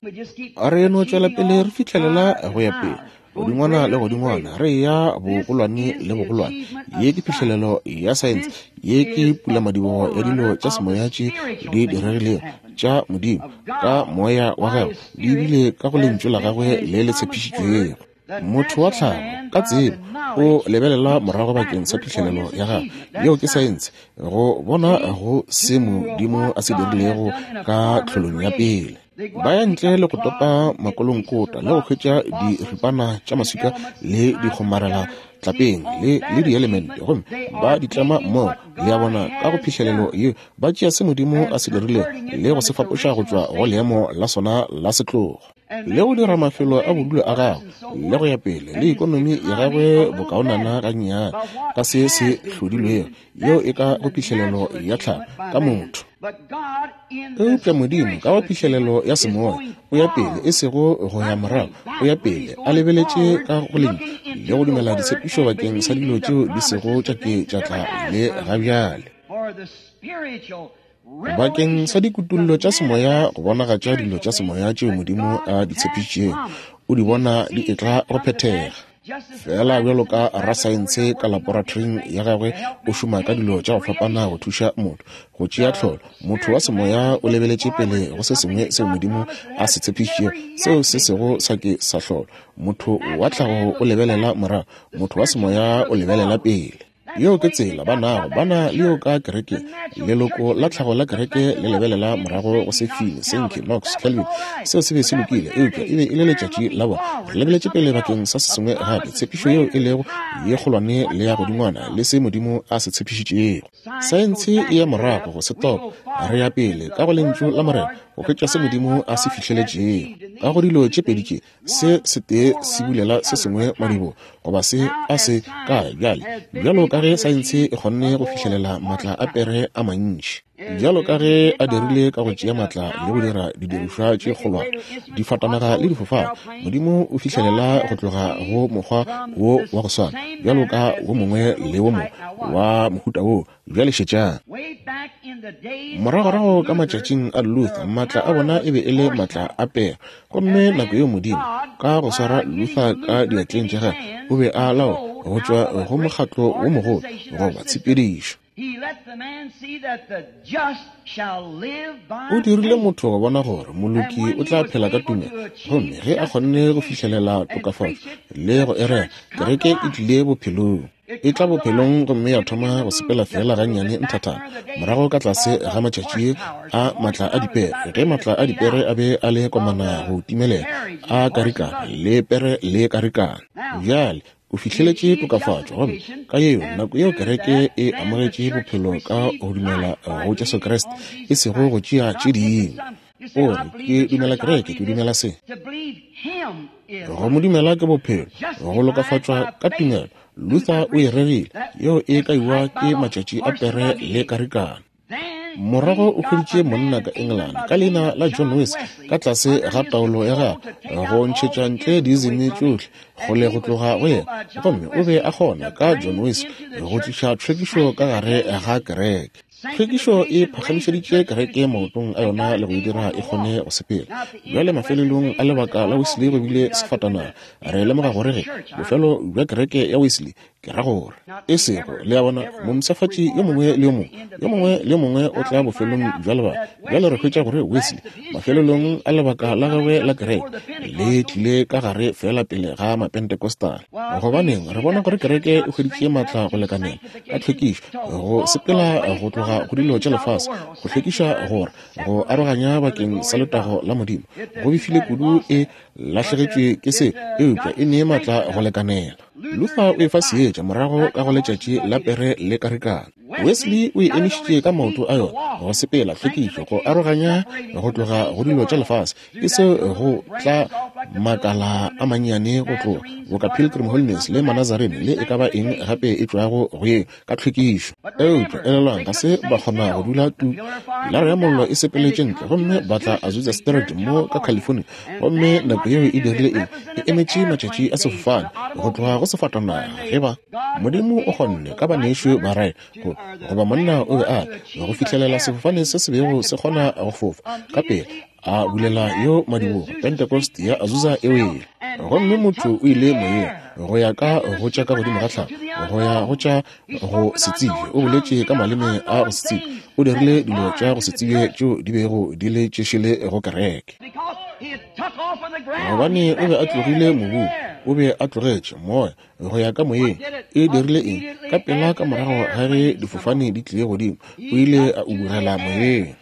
A re no tšwela pele re fihlelela go ya pele, godingwana le godingwana, re eya bogolwane le bogolwane. Ye ke phihlelelo ya saense, ye ke pulamadibogo ya dilo tša semoya tše di diregilego tša Modimo ka moya wa gagwe, di bile ka go lentšu la gagwe le le tshepišitšwego. Motho wa tlhago ka tsebo o lebelela morago bakeng sa phihlelelo ya gagwe, yeo ke saense, go bona go se Modimo a se dirilego ka tlholong ya pele. Ba ya ntle le go topa makolonkota le go hwetša diripana tša maswika le dikgomarela tlapeng le le dielemente, gomme ba di tlema mmogo. Le a bona, ka go phihlelelo ye ba tšea se Modimo a se dirilego le go se fapoša go tšwa go leemo la sona la setlogo, le go dira mafelo a bodulo a gagwe le go ya pele le ikonomi ya gagwe bokaonana gannyane ka se se hlodilwego, yeo e ka go phihlelelo ya tlhago ka motho. Eupša Modimo, ka go phihlelelo ya semoya, o ya pele, e sego go ya morago, o ya pele, a lebeletše ka go Lentšu le go dumela ditshepišo bakeng sa dilo tšeo di sego tša ke tša tla le ga bjale. Bakeng sa dikutullo tša semoya go bonagatša dilo tša semoya tšeo Modimo a di tshepišitšego, o di bona di etla go phethega. Feela bjalo ka rasaense ka laporatoring ya gagwe o šoma ka dilo tša go fapana go thuša motho go tšea tlholo, motho wa semoya o lebeletše pele go se sengwe seo Modimo a se tshepišitšego seo se sego sa ke sa hlolwa. Motho wa tlhago o lebelela morago, motho wa semoya o lebelela pele. Yeo ke tsela ba nago, ba na le yo ka kerekeng. Leloko la tlhago la kereke le lebelela morago go se Finney, Sankey, Knox, Calvin. Seo se be se lokile, eupša e be e le letšatši la bona. Re lebeletše pele bakeng sa se sengwe gape, tshepišo yeo e lego ye kgolwane le ya godingwana le se Modimo a se tshepišitšego. Saense e ya morago go se topa, re ya pele ka go Lentšu la Morena go hwetša se Modimo a se fihleletšego. Ka go dilo tše pedi tše, se setee se bulela se sengwe madibo goba se a se kae bjale bjalo ka ge saense e kgonne go fihlelela maatla a pere a mantši bjalo ka ge a dirile ka go tšea maatla le go dira didirišwa tše kgolwane difatanaga le difofane modimo o fihlelela go tloga go mokgwa wo wa go swana bjalo ka wo mongwe le wo mongwe wa mohuta wo Bjale šetšang. Moragorago ka matšatšing a Luther, maatla a bona e be e le maatla a pere. Gomme nako yeo Modimo, ka go swara Luther ka diatleng tša gagwe, o be a laola go tšwa go mokgatlo wo mogolo goba tshepedišo. O dirile motho go bona gore moloki o tla phela ka tumelo, gomme ge a kgonne go fihlelela tokafatšo le go e rera, kereke e tlile bophelong. E tla bophelong gomme ya thoma go sepela feela gannyane nthathana morago ka tlase ga matšatši a maatla a dipere, ge maatla a dipere a be a le komana go timelela, a karikana le pere le karikana. Bjale o fihleletše tokafatšo, gomme ka yeo nako yeo kereke e amogetše bophelo ka go dumela go Jesu Kriste, e sego go tšea tše dingwe. O re, Ke dumela kereke, ke dumela se. Go mo dumela ke bophelo, go lokafatšwa ka tumelo. Luther o e rerile, yeo e kaiwa ke matšatši a pere le karikana. Morago o hweditše monna ka Engelane ka leina la John Wesley ka tlase ga taolo ya gagwe go ntšhetša ntle diizimi tšohle kgole go tloga go yena, gomme o be a kgona ka John Wesley go tliša tlhwekišo ka gare ga kereke. Tlhwekišo e phagamišeditše kereke maotong a yona le go e dira e kgone go sepela. Bjale mafelelong a lebaka la Wesley go bile sefatanaga. Re lemoga gore ge bofelo bja kereke ya Wesley, ke ra gore, e sego, le a bona, mompshafatši yo mongwe le yo mongwe, yo mongwe le yo mongwe o tla bofelong bja lebaka. Bjale re hwetša gore Wesley, mafelelong a lebaka la gagwe la kereke, le tlile ka gare feela pele ga Mapentecostal. Gobaneng, re bona gore kereke e hweditše maatla go lekanela ka tlhwekišo, go sepela go tloga go dilo tša lefase, go hlwekiša gore go aroganya bakeng sa letago la Modimo. Go befile kudu e lahlegetšwe ke se, eupša e ne maatla go lekanela. Luther o e fa seetša morago ka go letšatši la pere le karikana. Wesley o e emišitše ka maoto a yona, go sepela, tlhwekišo, go aroganya go tloga go dilo tša lefase, e se go tla makala a mannyane go tloga boka Pilgrim Holiness le Manazarene le e ka ba eng gape e tšwago go ye ka tlhwekišo. Eupša elelwang, ga se ba kgona go dula tu. Pilara ya Mollo e sepeletše ntle gomme ba tla Azusa Street mo ka California, gomme nako yeo e dirile eng? E emetše matšatši a sefofane go tloga go sefatanaga ge ba. Modimo o kgonne ka banešu ba Wright go, goba monna o be a go fihlelela sefofane se se bego se kgona go fofa ka pele, a bulela yo madibogo Pentecost ya Azusa e wele. Gomme motho o ile moyeng go ya ka go tša ka godimo ga tlhago, go ya go tša go se tsebje, o boletše ka maleme a go se tsebje, o dirile dilo tša go se tsebje tšeo di bego di le tšešele go kereke. Gobane o be a tlogile mobung, o be a tlogetše moya go ya ka moyeng. E dirile eng? Ka pela ka morago ga ge difofane di tlile godimo, o ile a ubugela moyeng.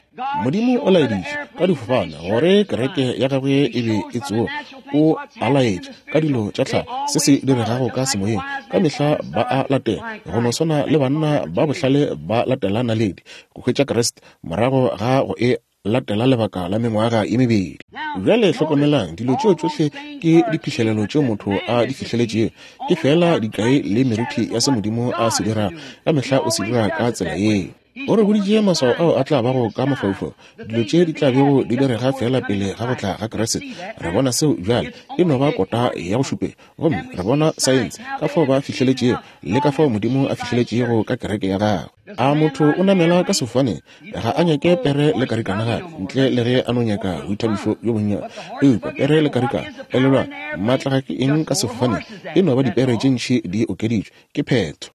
Modimo o laeditše ka difofane gore kereke ya gagwe e be e tsoga. O a laetša ka dilo tša tlhago se se diregago ka semoyeng. Ka mehla ba a latela, go no swana le banna ba bohlale ba latela naledi go hwetša Kriste morago ga go e latela lebaka la mengwaga ye mebedi. Bjale hlokomelang, dilo tšeo tšohle ke diphihlelelo tšeo motho a di fihleletšego. Ke feela dikai le meriti ya se Modimo a se dirago. Ka mehla o se dira ka tsela yeo. O re boditše maswao ao a tla bago ka mafaufau, dilo tše di tla bego di direga feela pele ga go tla ga Kriste. Re bona seo bjale, e no ba kota ya go šupetša. Gomme re bona saense, ka fao ba fihleletšego, le ka fao Modimo a fihleletšego ka kereke ya Gagwe. A motho o namela ka sefofaneng, ga a nyake pere le karikana gape, ntle le ge a no nyaka boithabišo bjo bonnyane. Eupša pere le karikana, elelwang, maatla ga ke eng ka sefofaneng, e no ba dipere tše ntši di okeditšwe. Ke phetho.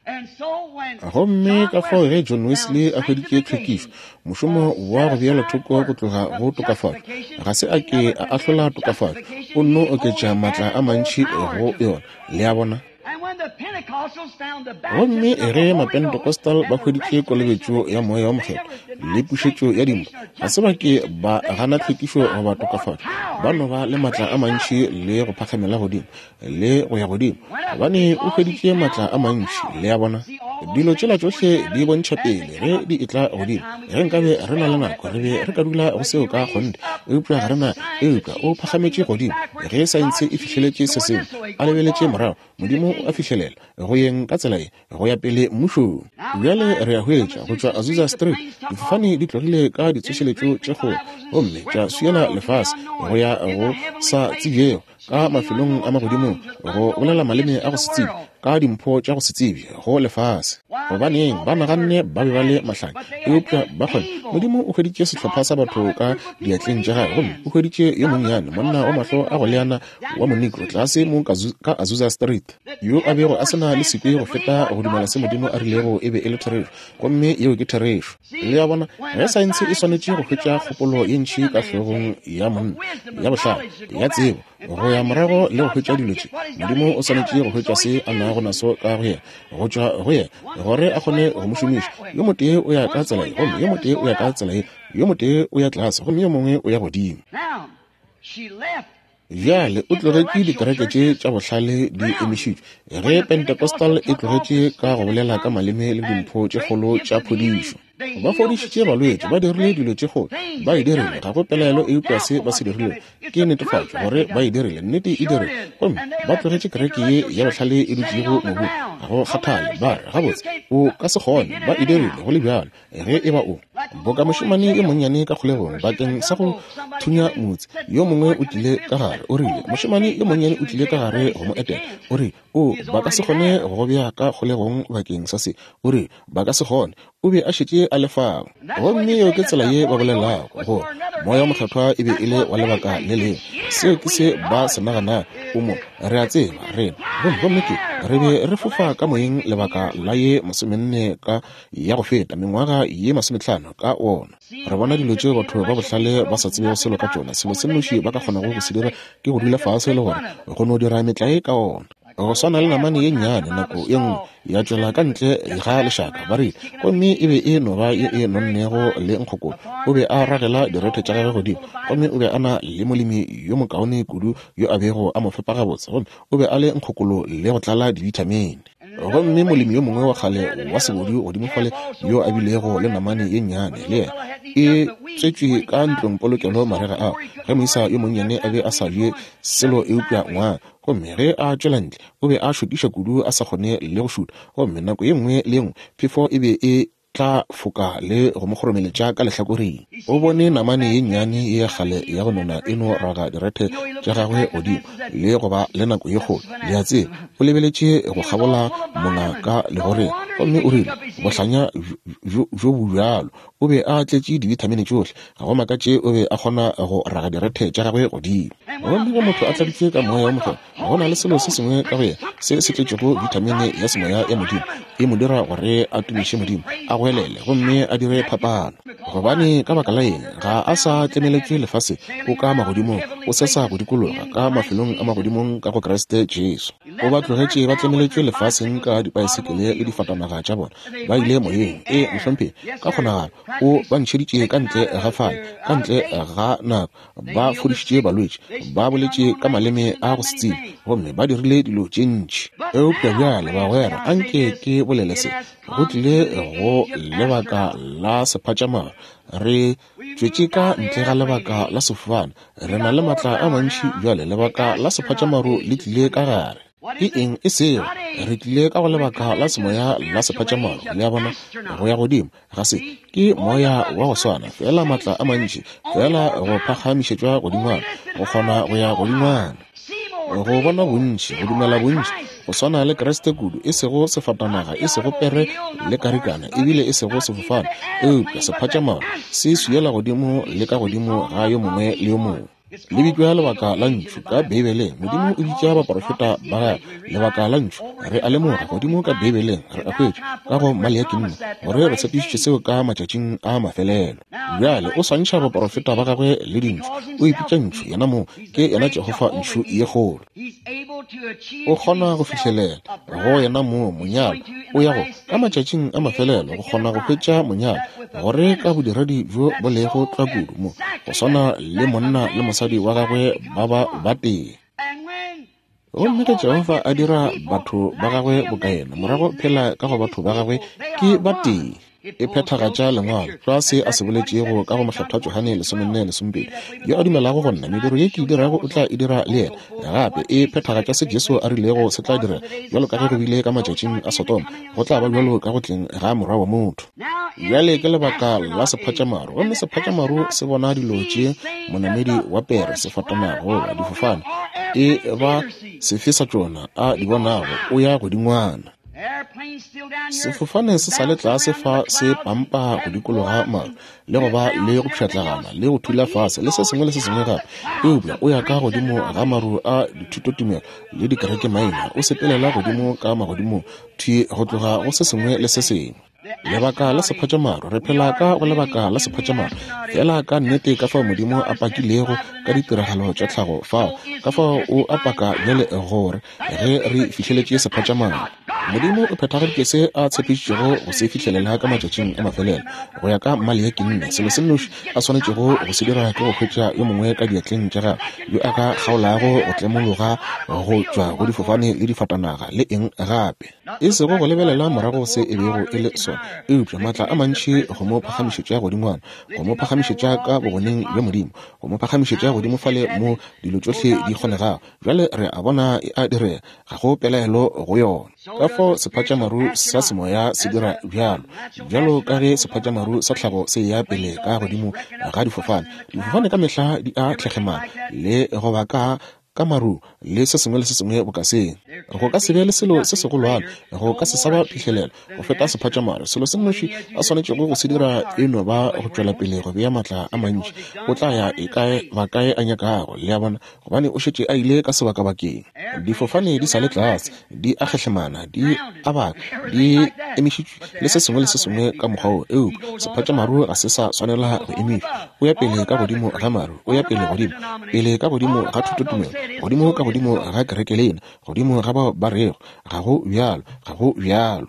Gomme ka fao ge John Wesley a hweditše tlhwekišo, mošomo wa go beela thoko go tloga go tokafatšo, ga se a ke a ahlola tokafatšo, o nno oketša maatla a mantši go yona. Le a bona? Gomme ge Mapentecostal ba hweditše kolobetšo ya Moya wo Mokgethwa le pušetšo ya dimpho, ga se ba ke ba gana tlhwekišo goba tokafatšo, ba no ba le maatla a mantši le go phakgamela godimo le go ya godimo, gobane o hweditše maatla a mantši. Le a bona, dilo tšela tšohle di bontšha pele ge di etla godimo. Ge nkabe re na le nako, re be re ka dula go seo ka kgonthe, eupša ga re na. Eupša o phagametše godimo ge saense e fihleletše se sengwe, a lebeletše morago, Modimo o a fihlelela go yeng ka tsela ye go ya pele mmušong. Bjale re a hwetša, go tšwa Azusa Street, difofane di tlogile ka ditsošeletšo tše kgolo gomme tša swiela lefase go ya go sa tsebjego ka mafelong a magodimong, go bolela maleme a go se tsebje, ka dimpho tša go se tsebje go lefase. Gobaneng, ba naganne ba be ba le mahlanya, eupša ba kgone. Modimo o hweditše sehlopha sa batho ka diatleng tša gagwe, gomme o hweditše yo monnyane, monna wa mahlo a go leana wa Monegro tlase mo ka Azusa Street, yo a bego a se na le sekwi go feta go dumela se Modimo a rilego e be e le therešo, gomme yeo ke therešo. Le a bona, ge saense e swanetše go hwetša kgopolo ye ntši ka hlogong ya monna, ya bohlale, ya tsebo, go ya morago le go hwetša dilo tše, Modimo o swanetše go hwetša se a nago naso ka go yena, go tšwa go yena, gore a kgone go mo šomiša. Yo motee o ya ka tsela ye, gomme yo motee o ya ka tsela ye, yo motee o ya tlase, gomme yo mongwe o ya godimo. Bjale o tlogetše dikereke tše tša bohlale di emišitšwe, ge Pentecostal e tlogetše ka go bolela ka maleme le dimpho tše kgolo tša phodišo. Ba fodišitše balwetši, ba dirile dilo tše kgolo, ba e dirile, ga go pelaelo eupša se ba se dirilego ke netefatšo gore ba e dirile, nnete e dirile. Gomme ba tlogetše kereke ye ya bohlale e dutšego mobung, ga go kgathale, ba re, Gabotse, o ka se kgone, ba e dirile go le bjalo. Ge e ba o boka mošemane yo monnyane ka kgolegong bakeng sa go thunya motse, yo mongwe o tlile ka gare, o rile, mošemane yo monnyane o tlile ka gare go mo etela, o rile, o, ba ka se kgone go go bea ka kgolegong bakeng sa se, o rile, ba ka se kgone, o be a šetše a le fao. Gomme yeo ke tsela ye ba bolelago gore Moya wo Mokgethwa e be e le wa lebaka le lengwe. Seo ke se ba se naganago. O mo, re a tseba, rena. Gomme, gomme ke, re be re fofa ka moyeng lebaka la ye masomenne ka ya go feta mengwaga ye masometlhano ka wona. Re bona dilo tšeo batho ba bohlale ba sa tsebego selo ka tšona. Selo se nnoši ba ka kgonago go se dira ke go dula fase le gore go no dira metlae ka ona. Go swana le namane ye nnyane nako ye nngwe ya tšwela ka ntle ga lešaka, ba rile, gomme e be e no ba ye e nonnego le nkgokolo. O be a ragela direthe tša gagwe godimo, gomme o be a na le molemi yo mokaone kudu yo a bego a mo fepa gabotse, gomme o be a le nkgokolo le go tlala dibithamine. Gomme molemi yo mongwe wa kgale wa sebodu godimo fale yo a bilego le namane ye nnyane le yena e tswetšwe ka ntlongpolokelo marega ao, ge moisa yo monnyane a be a sa je selo eupša ngwang, gomme ge a tšwela ntle o be a šokiša kudu a sa kgone le go šutha, gomme nako ye nngwe le ye nngwe phefo e be e tla foka le go mo kgoromeletša ka lehlakoreng. O bone namane ye nnyane ye ya kgale ya go nona e no raga direthe tša gagwe godimo le go ba le nako ye kgolo, le a tseba. O lebeletše go kgabola mona ka legoreng gomme o rile, Bohlanya bjo bo bjalo! O be a tletše dibithamine tšohle. Ga go makatše o be a kgona go raga direthe tša gagwe godimo. Gomme ge motho a tladitšwe ka Moya wo Mokgethwa, go na le selo se sengwe ka go yena se se tletšego vitamine ya semoya ya Modimo, e mo dira gore a tumiše Modimo, a goelele gomme a dire phapano. Gobane ka baka la eng? Ga a sa tlemeletšwe lefaseng, o ka magodimong, o sesa go dikologa ka mafelong a magodimong ka go Kriste Jesu. O ba tlogetše ba tlemeletšwe lefaseng ka dipaesekele le difatanaga tša bona. Ba ile moyeng. Ee, mohlomphegi, ka kgonagalo o ba ntšheditše ka ntle ga fale, ka ntle ga nako. Ba fodišitše balwetši, ba boletše ka maleme a go se tsebe, gomme ba dirile dilo tše ntši. Eupša bjale, bagwera, anke ke bolele se. Go tlile go lebaka la sephatšamaru. Re tšwetše ka ntle ga lebaka la sefofane. Re na le matla a mantši bjale. Lebaka la sephatšamaru le tlile ka gare. Ke eng e sego? Re tlile ka go lebaka la semoya la sephatšamaru, le a bona, go ya godimo ga se. Ke moya wa go swana, feela maatla a mantši, feela go phagamišetšwa godingwana, go kgona go ya godingwana, go bona bontši, go dumela bontši, go swana le Kriste kudu, e sego sefatanaga, e sego pere le karikana, ebile e sego sefofane, eupša sephatšamaru se swiela godimo le ka godimo ga yo mongwe le yo mongwe. Le bitšwa lebaka la ntšhu ka Beibeleng. Modimo o bitša baporofeta ba gagwe lebaka la ntšhu. Re a lemoga godimo ka Beibeleng, re a hwetša ka go Maleaki nne gore re tshepišitše seo ka matšatšing a mafelelo. Bjale o swantšha baporofeta ba gagwe le dintšhu. O ipitša ntšhu yena mong, ke yena Jehofa ntšhu ye kgolo. O kgona go fihlelela go yena moo monyalo o ya go ka matšatšing a mafelelo go kgona go hwetša monyalo gore ka bodiredi bjo bo lego tlwa kudu mo go swana le monna le mosadi wa gagwe ba ba batee. Gomme ge Jehofa a dira batho ba gagwe boka yena, morago phela ka go batho ba gagwe ke batee. E phethagatša Lengwalo, tlwa se a se boletšego ka go Mokgethwa Johane 14:12, Yo a dumelago go nna, mediro ye ke e dirago o tla e dira le yena. Gape e phethagatša se Jesu a rilego se tla direga, bjalo ka ge go bile ka matšatšing a Sodoma, go tla ba bjalo ka go tleng ga Morwa wa motho. Bjale ke lebaka la sephatšamaru, gomme sephatšamaru se bona dilo tše monamedi wa pere, sefatanaga goba difofane, e ba sefe sa tšona a di bonago, o ya godingwana. Sefofane se sa le tlase fa se pampa go dikologa maru le go ba le go pšhatlagana le go thula fase le se sengwe le se sengwe gape, eupša o ya ka godimo ga maru a dithutotumelo le dikerekemaina, o sepelela godimo ka magodimong thwi go tloga go se sengwe le se sengwe. Lebaka la sephatšamaru, re phela ka go lebaka la sephatšamaru, feela ka nnete ka fao Modimo a pakilego ka ditiragalo tša tlhago fao, ka fao o a paka bjale gore ge re fihleletše sephatšamaru. Modimo o phethagaditše se a tshepišitšego go se fihlelela ka matšatšing a mafelelo, go ya ka Maleaki nne. Selo se nnoši a swanetšego go se dira ke go hwetša yo mongwe ka diatleng tša gagwe yo a ka kgaolago go tlemologa go tšwa go difofane le difatanaga le eng gape. E sego go lebelela morago se e bego e le sona, eupša maatla a mantši go mo phagamišetša godingwana, go mo phagamišetša ka bogoneng bja Modimo, go mo phagamišetša godimo fale mo dilo tšohle di kgonegago. Bjale re a bona e a direga, ga go pelaelo go yona. Ka fao sephatšamaru sa semoya se dira bjalo, bjalo ka ge sephatšamaru sa tlhago se eya pele ka godimo ga difofane. Difofane ka mehla di a tlhekgemana le go ba ka ka maru le se sengwe le se sengwe boka se. Go ka se be le selo se segolwane, go ka se sa ba phihlelelo go feta sephatšamaru. Selo se nnoši a swanetšego go se dira e no ba go tšwela pele go bea matla a mantši. O tla ya e kae ba kae a nyakago, le a bona, gobane o šetše a ile ka sebakabakeng. Difofane di sa le tlase, di a kgehlemana, di a baka, di emišitšwe le se sengwe le se sengwe ka mokgwa wo, eupša sephatšamaru ga se sa swanela go emišwa. O ya pele ka godimo ga maru, o ya pele godimo, pele ka godimo ga thutotumelo, godimo ka godimo ga kerekelena, godimo ga bao ba rego, Ga go bjalo, ga go bjalo.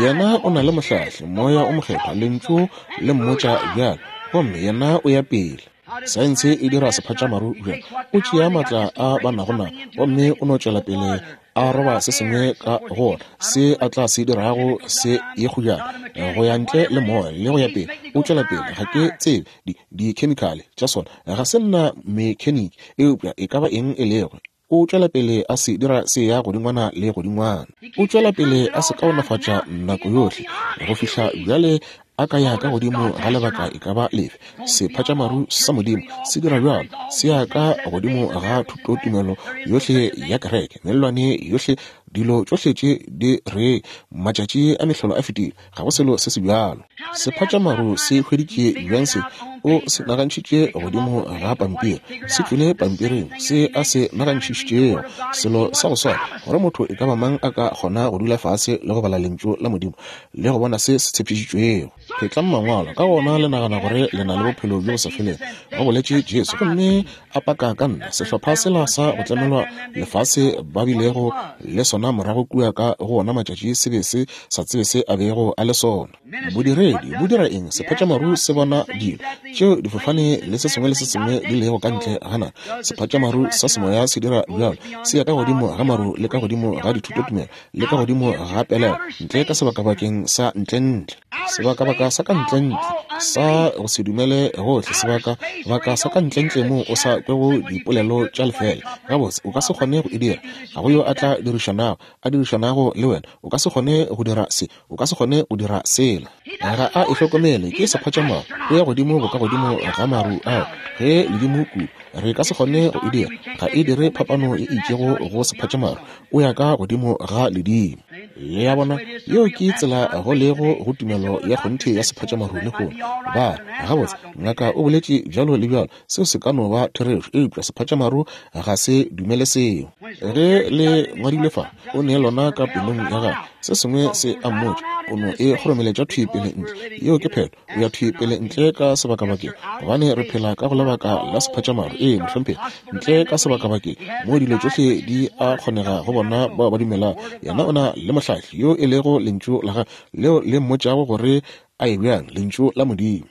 Yena o na le mohlahli, Moya o Mokgethwa, Lentšu le mmotša bjalo, gomme yena o ya pele. Saense e dira sephatšamaru bjalo. O tšea maatla a ba nago nao, gomme o no tšwela pele a roba se sengwe ka go ona, se a tla se dirago se ye kgojana, go ya ntle le moya le go ya pele. O tšwela pele. Ga ke tsebe di, dikhemikhale tša sona, ga se nna mekheniki, eupša e ka ba eng e lego, o tšwela pele a se dira se ya godingwana le godingwana. O tšwela pele a se kaonafatša nako yohle go fihla bjale a ka ya ka godimo ga lebaka e ka ba lefe. Sephatšamaru sa Modimo se dira bjalo, se ya ka godimo ga thutotumelo yohle ya kereke, mellwane yohle, dilo tšohle tše di re matšatši a mehlolo a fetile. Ga go selo se se bjalo. Sephatšamaru se hweditše bjang se? O se nagantšhitše godimo ga pampiri. Se tšwele pampiring, se a se nagantšhišitšego. Selo sa go swana, gore motho e ka ba mang a ka kgona go dula fase le go bala Lentšu la Modimo le go bona se se tshepišitšwego. Phetlang Mangwalo, ka gona le nagana gore le na le Bophelo bjo bo sa felego, go boletše Jesu, gomme a paka ka nna. Sehlopha sela sa go tlemelwa lefase ba bilego le sona morago kua ka go ona matšatši se be se sa tsebe se a bego a le sona. Bodiredi bo dira eng? Sephatšamaru se bona dilo tšeo difofane le se sengwe le se sengwe di lego ka ntle ga naga. Sephatšamaru sa semoya se dira bjalo, se ya ka godimo ga maru le ka godimo ga dithutotumelo le ka godimo ga pelego, ntle ka sebakabakeng sa ntlentle. Sebakabaka sa ka ntlentle sa go se dumele gohle, sebakabaka sa ka ntlentle moo o sa kwego dipolelo tša lefeela. Gabotse, o ka se kgone go e dira. Ga go yo a tla dirišanago, a dirišanago le wena. O ka se kgone go dira se. O ka se kgone go dira sela. Ga a e hlokomele, ke sephatšamaru. O ya godimo bokagodimo ga maru ao, ge ledimo kudu. Re ka se kgone go e dira. Ga e dire phapano e itšego go sephatšamaru. O ya ka godimo ga ledimo. Le a bona? Yeo ke tsela go lego go tumelo ya kgonthe ya sephatšamaru lehono. Ba re, Gabotse, ngaka o boletše bjalo le bjalo. Seo se ka no ba therešo, eupša sephatšamaru ga se dumele seo. Ge le ngwadilwe fa, o ne lona ka pelong ya gagwe. Se sengwe se a mmotša, o no e kgoromeletša thwi pele ntle. Yeo ke phetho. O ya thwi pele ntle ka sebakabakeng, gobane re phela ka go lebaka la sephatšamaru. Ee, mohlomphegi. Ntle ka sebakabakeng, moo dilo tšohle di a kgonega go bona bao ba dumelago. Yena o na le Mohlahli, yo e lego Lentšu la Gagwe, leo le mmotšago gore a ye bjang, Lentšu la Modimo.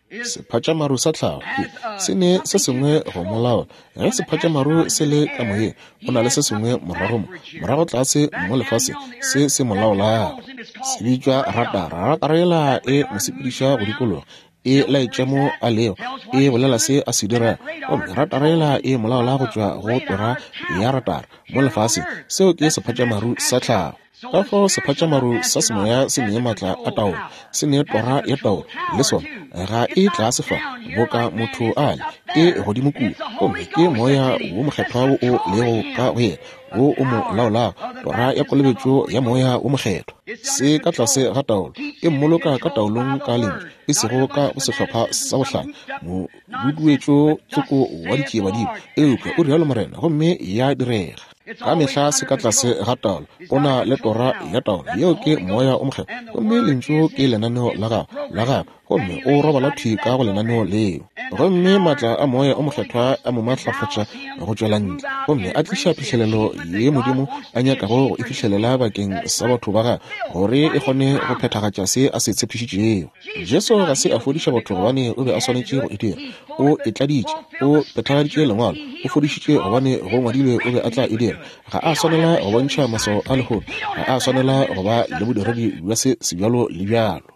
Sephatšamaru sa tlhago ke se ne se sengwe go mo laola. Ge sephatšamaru se le ka moyeng, go na le se sengwe morago mo, morago tlase mo lefaseng, se se mo laolago. Se bitšwa ratara. Ratara yela e mo sepediša go dikologa, e laetša mo a lego, e bolela se a se dirago. Gomme ratara yela e mo laola go tšwa go tora ya ratara mo lefaseng. Seo ke sephatšamaru sa tlhago. Ka fao sephatšamaru sa semoya se nee maatla a taolo, se nee tora ya taolo, le sona. Ga e tlase fa, boka motho a le, e godimo kua. Gomme ke Moya wo Mokgethwa wo o lego ka go yena, wo o mo laolago, tora ya kolobetšo ya Moya wo Mokgethwa. Se ka tlase ga taolo, e mmoloka ka taolong ka Lentšu, e sego ka go sehlopha sa bohlanya, moduduetšo tsoko wa ditšiebadimo, eupša o rialo morena, gomme ya direga. Ka mehla se ka tlase ga taolo. O na le tora ya taolo, yeo ke Moya o Mokgethwa. Gomme Lentšu ke lenaneo la gagwe, la gagwe, gomme o robala thwi ka go lenaneo leo. Gomme maatla a Moya o Mokgethwa a mo maatlafatša go tšwela ntle, gomme a tliša phihlelelo ye Modimo a nyakago go e fihlelela bakeng sa batho ba gagwe, gore e kgone go phethagatša se a se tshepišitšego. Jesu ga se a fodiša batho gobane o be a swanetše go e dira. O e tladitše, o phethagaditše Lengwalo, o fodišitše gobane go ngwadilwe o be a tla e dira. Ga a swanela go bontšha maswao a lehono, ga a swanela go ba le bodiredi bja se sebjalo le bjalo.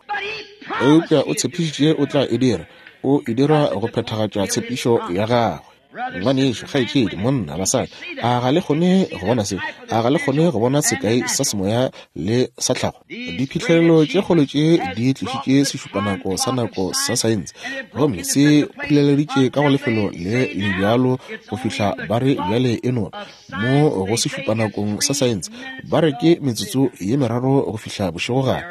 Eupša o tshepišitše o tla e dira, o e dira go phethagatša tshepišo ya gagwe. Ngwanešu, kgaetšedi, monna, basadi, a ga le kgone go bona se? A ga le kgone go bona sekai sa semoya le sa tlhago? Diphihlelelo tše kgolo tše di tlišitše sešupanako sa nako sa saense, gomme se phuleleditše ka go lefelo le le bjalo go fihla ba re bjale e no mo go sešupanakong sa saense ba re ke metsotso ye meraro go fihla bošegogare,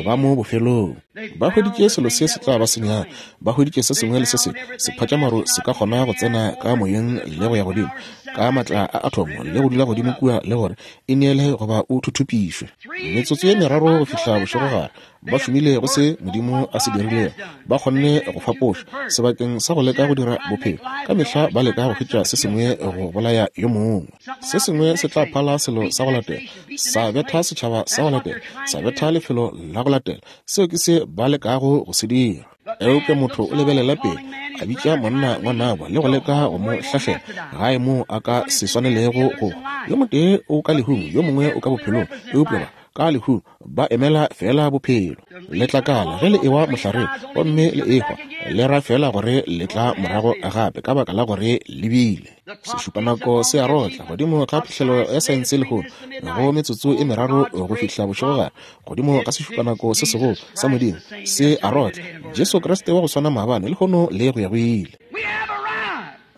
ba mo bofelong. Ba hweditše selo se se tla ba senyang. Ba hweditše se sengwe le se sengwe. Sephatšamaru se ka kgona go tsena ka moyeng le go ya godimo ka matla a athomo le go dula godimo kua le gore e neele goba o thuthupišwe. Metsotso ye meraro go fihla bošegogare, ba šomile go se Modimo a se dirilego. Ba kgonne go fapoša sebakeng sa go leka go dira bophelo. Ka mehla ba leka go hwetša se sengwe go bolaya yo mongwe. Se sengwe se tla phala selo sa go latela, sa betha setšhaba sa go latela, sa betha lefelo la go latela. Seo ke se ba lekago go se dira. Eupša motho o lebelela pele, a bitša monna ngwanabo le go leka go mo hlahlela gae moo a ka se swanelego go hwa. Yo motee o ka lehung, yo mongwe o ka bophelong, eupša ba ka lehung ba emela feela bophelo. Letlakala ge le ewa mohlareng gomme le ehwa, le ra feela gore le tla morago gape ka baka la gore le bile. Sešupanako se a rotla godimo ga phihlelo ya saense lehono, go metsotso e meraro go fihla bošegogare, godimo ga sešupanako se segolo sa Modimo se a rotla, Jesu Kriste wa go swana maabane, lehono le go ya go ile.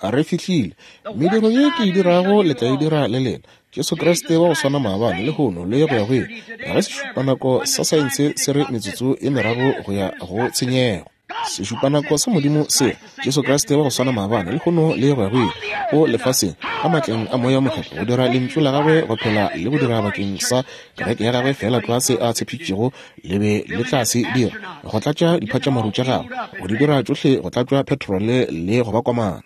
Re fihlile. Mediro ye ke e dirago le tla e dira le lena. Jesu Kriste wa go swana maabane, lehono le go ya go ile. Ge sešupanako sa saense se re metsotso e meraro go ya go tshenyego. Sešupanako sa Modimo se, Jesu Kriste wa go swana maabane, lehono le go ya go ile, o lefaseng ka matleng a Moya wo Mokgethwa go dira Lentšu la Gagwe go phela le go dira bakeng sa Kereke ya Gagwe feela tlwa se A tshepišitšego le be le tla se dira, go tlatša diphatšamaru tša Gagwe, go di dira tšohle go tlatšwa petrole le go ba komana.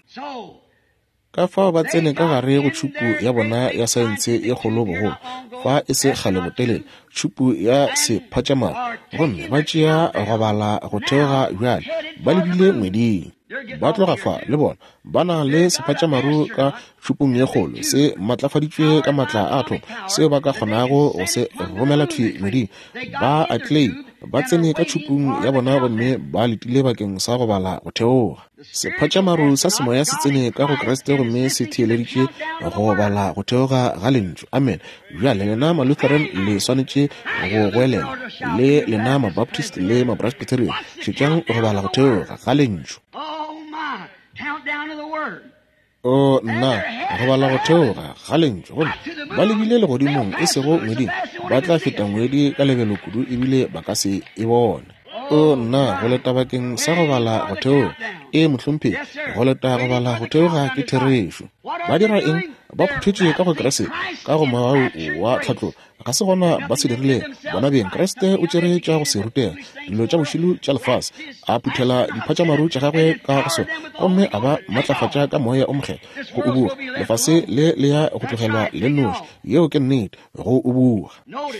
Ka fao ba tsene ka gare go tšhupu ya bona ya saense ye kgolo bogolo, fa e se kgale botelele, tšhupu ya sephatšamaru, gomme ba tšea go bala go theoga bjale, ba lebile ngweding. Ba tloga fa, le bona, ba na le sephatšamaru ka tšhupung ye kgolo, se matlafaditšwe ka matla a athomo, seo ba ka kgonago go se romela thwi ngweding. Ba a claim. Ba tsene ka tšhupung ya bona gomme ba letile bakeng sa go bala go theoga. Sephatšamaru sa semoya se tsene ka go Kriste gomme se theeleditše go bala go theoga ga Lentšu. Amen. Bjale lena Malutheran le swanetše go goelela, le lena Mabaptist le Mapresbyterian, šetšang go bala go theoga ga Lentšu. O nna, go bala go theoga ga Lentšu, gomme ba lebile legodimong, e sego ngweding, ba tla feta ngwedi ka lebelo kudu ebile ba ka se e bone. O nna, go leta bakeng sa go bala go theoga. Ee, mohlomphegi, go leta go bala go theoga ke therešo. Ba dira eng? Ba phuthetše ka go Kriste, ka go mogau wa tlhatlogo. Ga se gona ba se dirilego bona beng. Kriste o tšere tša go se rutega, dilo tša bošilu tša lefase, a phuthela diphatšamaru tša gagwe ka go sona, gomme a ba matlafatša ka Moya o Mokgethwa go ubuga. Lefase le le ya go tlogelwa le nnoši. Yeo ke nnete, go ubuga.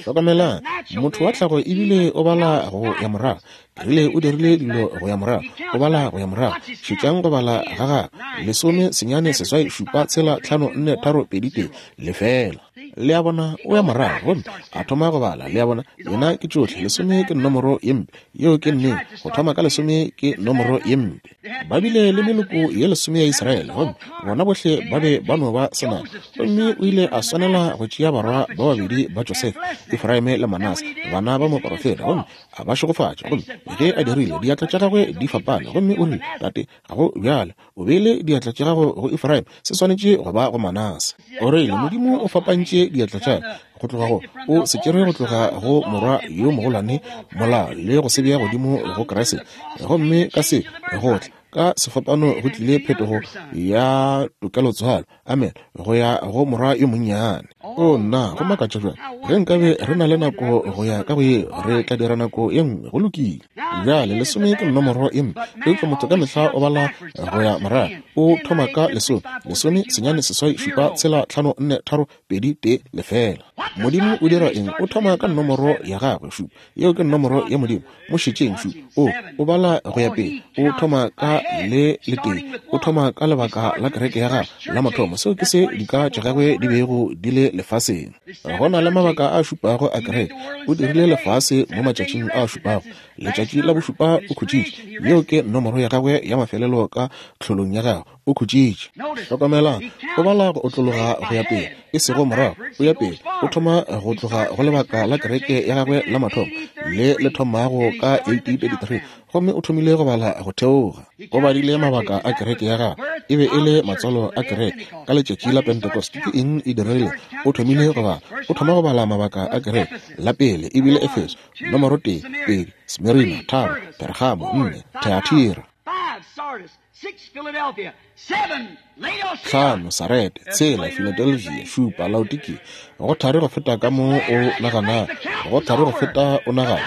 Hlokamelang, motho wa tlhago ebile o bala go ya morago. Ke rile o dirile dilo go ya morago, o bala go ya morago. Šetšang go bala ga gagwe, 10, 9, 8, 7, 6, 5, 4, 3, 2, 1, lefela. Le a bona, o ya morago gomme a thoma go bala. Le a bona, yena ke tšohle. Lesome ke nomoro ye mpe. Yeo ke nnete. Go thoma ka lesome ke nomoro ye mpe. Ba bile le meloko ye lesome ya Israele, gomme bona bohle ba be ba no ba senama. Gomme o ile a swanela go tšea barwa ba babedi ba Josefa, Efraime le Manase, bana ba moporofeta, gomme a ba šegofatša. Gomme ge a dirile, diatla tša gagwe di fapane. Gomme o rile, Tate, ga go bjalo. O beile diatla tša gago go Efraime, se swanetše go ba go Manase. O rile, Modimo o fapantše diatla tša go tloga go, o se tšere go tloga go morwa yo mogolwane mola le go se bea godimo go Kriste. Gomme ka se go tla ka sefapano go tlile phetogo ya tokelotswalo, amen, go ya go morwa yo monnyane. O nna, go makatša bjang. Ge nkabe re na le nako go ya ka go yeo, re tla dira nako ye nngwe. Go lokile. Bjale, lesome ke nomoro ye mpe, eupša motho ka mehla o bala go ya morago. O thoma ka lesome, 10, 9, 8, 7, 6, 5, 4, 3, 2, 1, lefela. Modimo o dira eng? O thoma ka nomoro ya gagwe, šupa. Yeo ke nomoro ya Modimo. Mo šetšeng, šupa. O, o bala go ya pele. O thoma ka le letee. O thoma ka lebaka la kereke ya gagwe la mathomo. Seo ke se dika tša gagwe di bego di le lefaseng. Go na le mabaka a šupago a kereke. O dirile lefase mo matšatšing a šupago. Letšatši la bošupa o khutšitše. Yeo ke nomoro ya gagwe ya mafelelo ka tlholong ya gagwe. O khutšitše. Hlokamelang, o bala go otlologa go ya pele, e sego morago, o ya pele. O thoma go tloga go lebaka la kereke ya gagwe la mathomo, le le thomago ka 1833, gomme o thomile go bala go theoga. O badile mabaka a kereke ya gagwe, e be e le matswalo a kereke. Ka letšatši la Pentecost, ke eng e diregilego? O thomile go bala. O thoma go bala mabaka a kereke. La pele e bile Efeso, nomoro 1, 2, Smirina, 3, Pergamo, 4, Thyatira. 5, Sarete, 6, Philadelphia, 7, Laodikia. Go thari go feta ka mo o naganago, go thari go feta o nagana.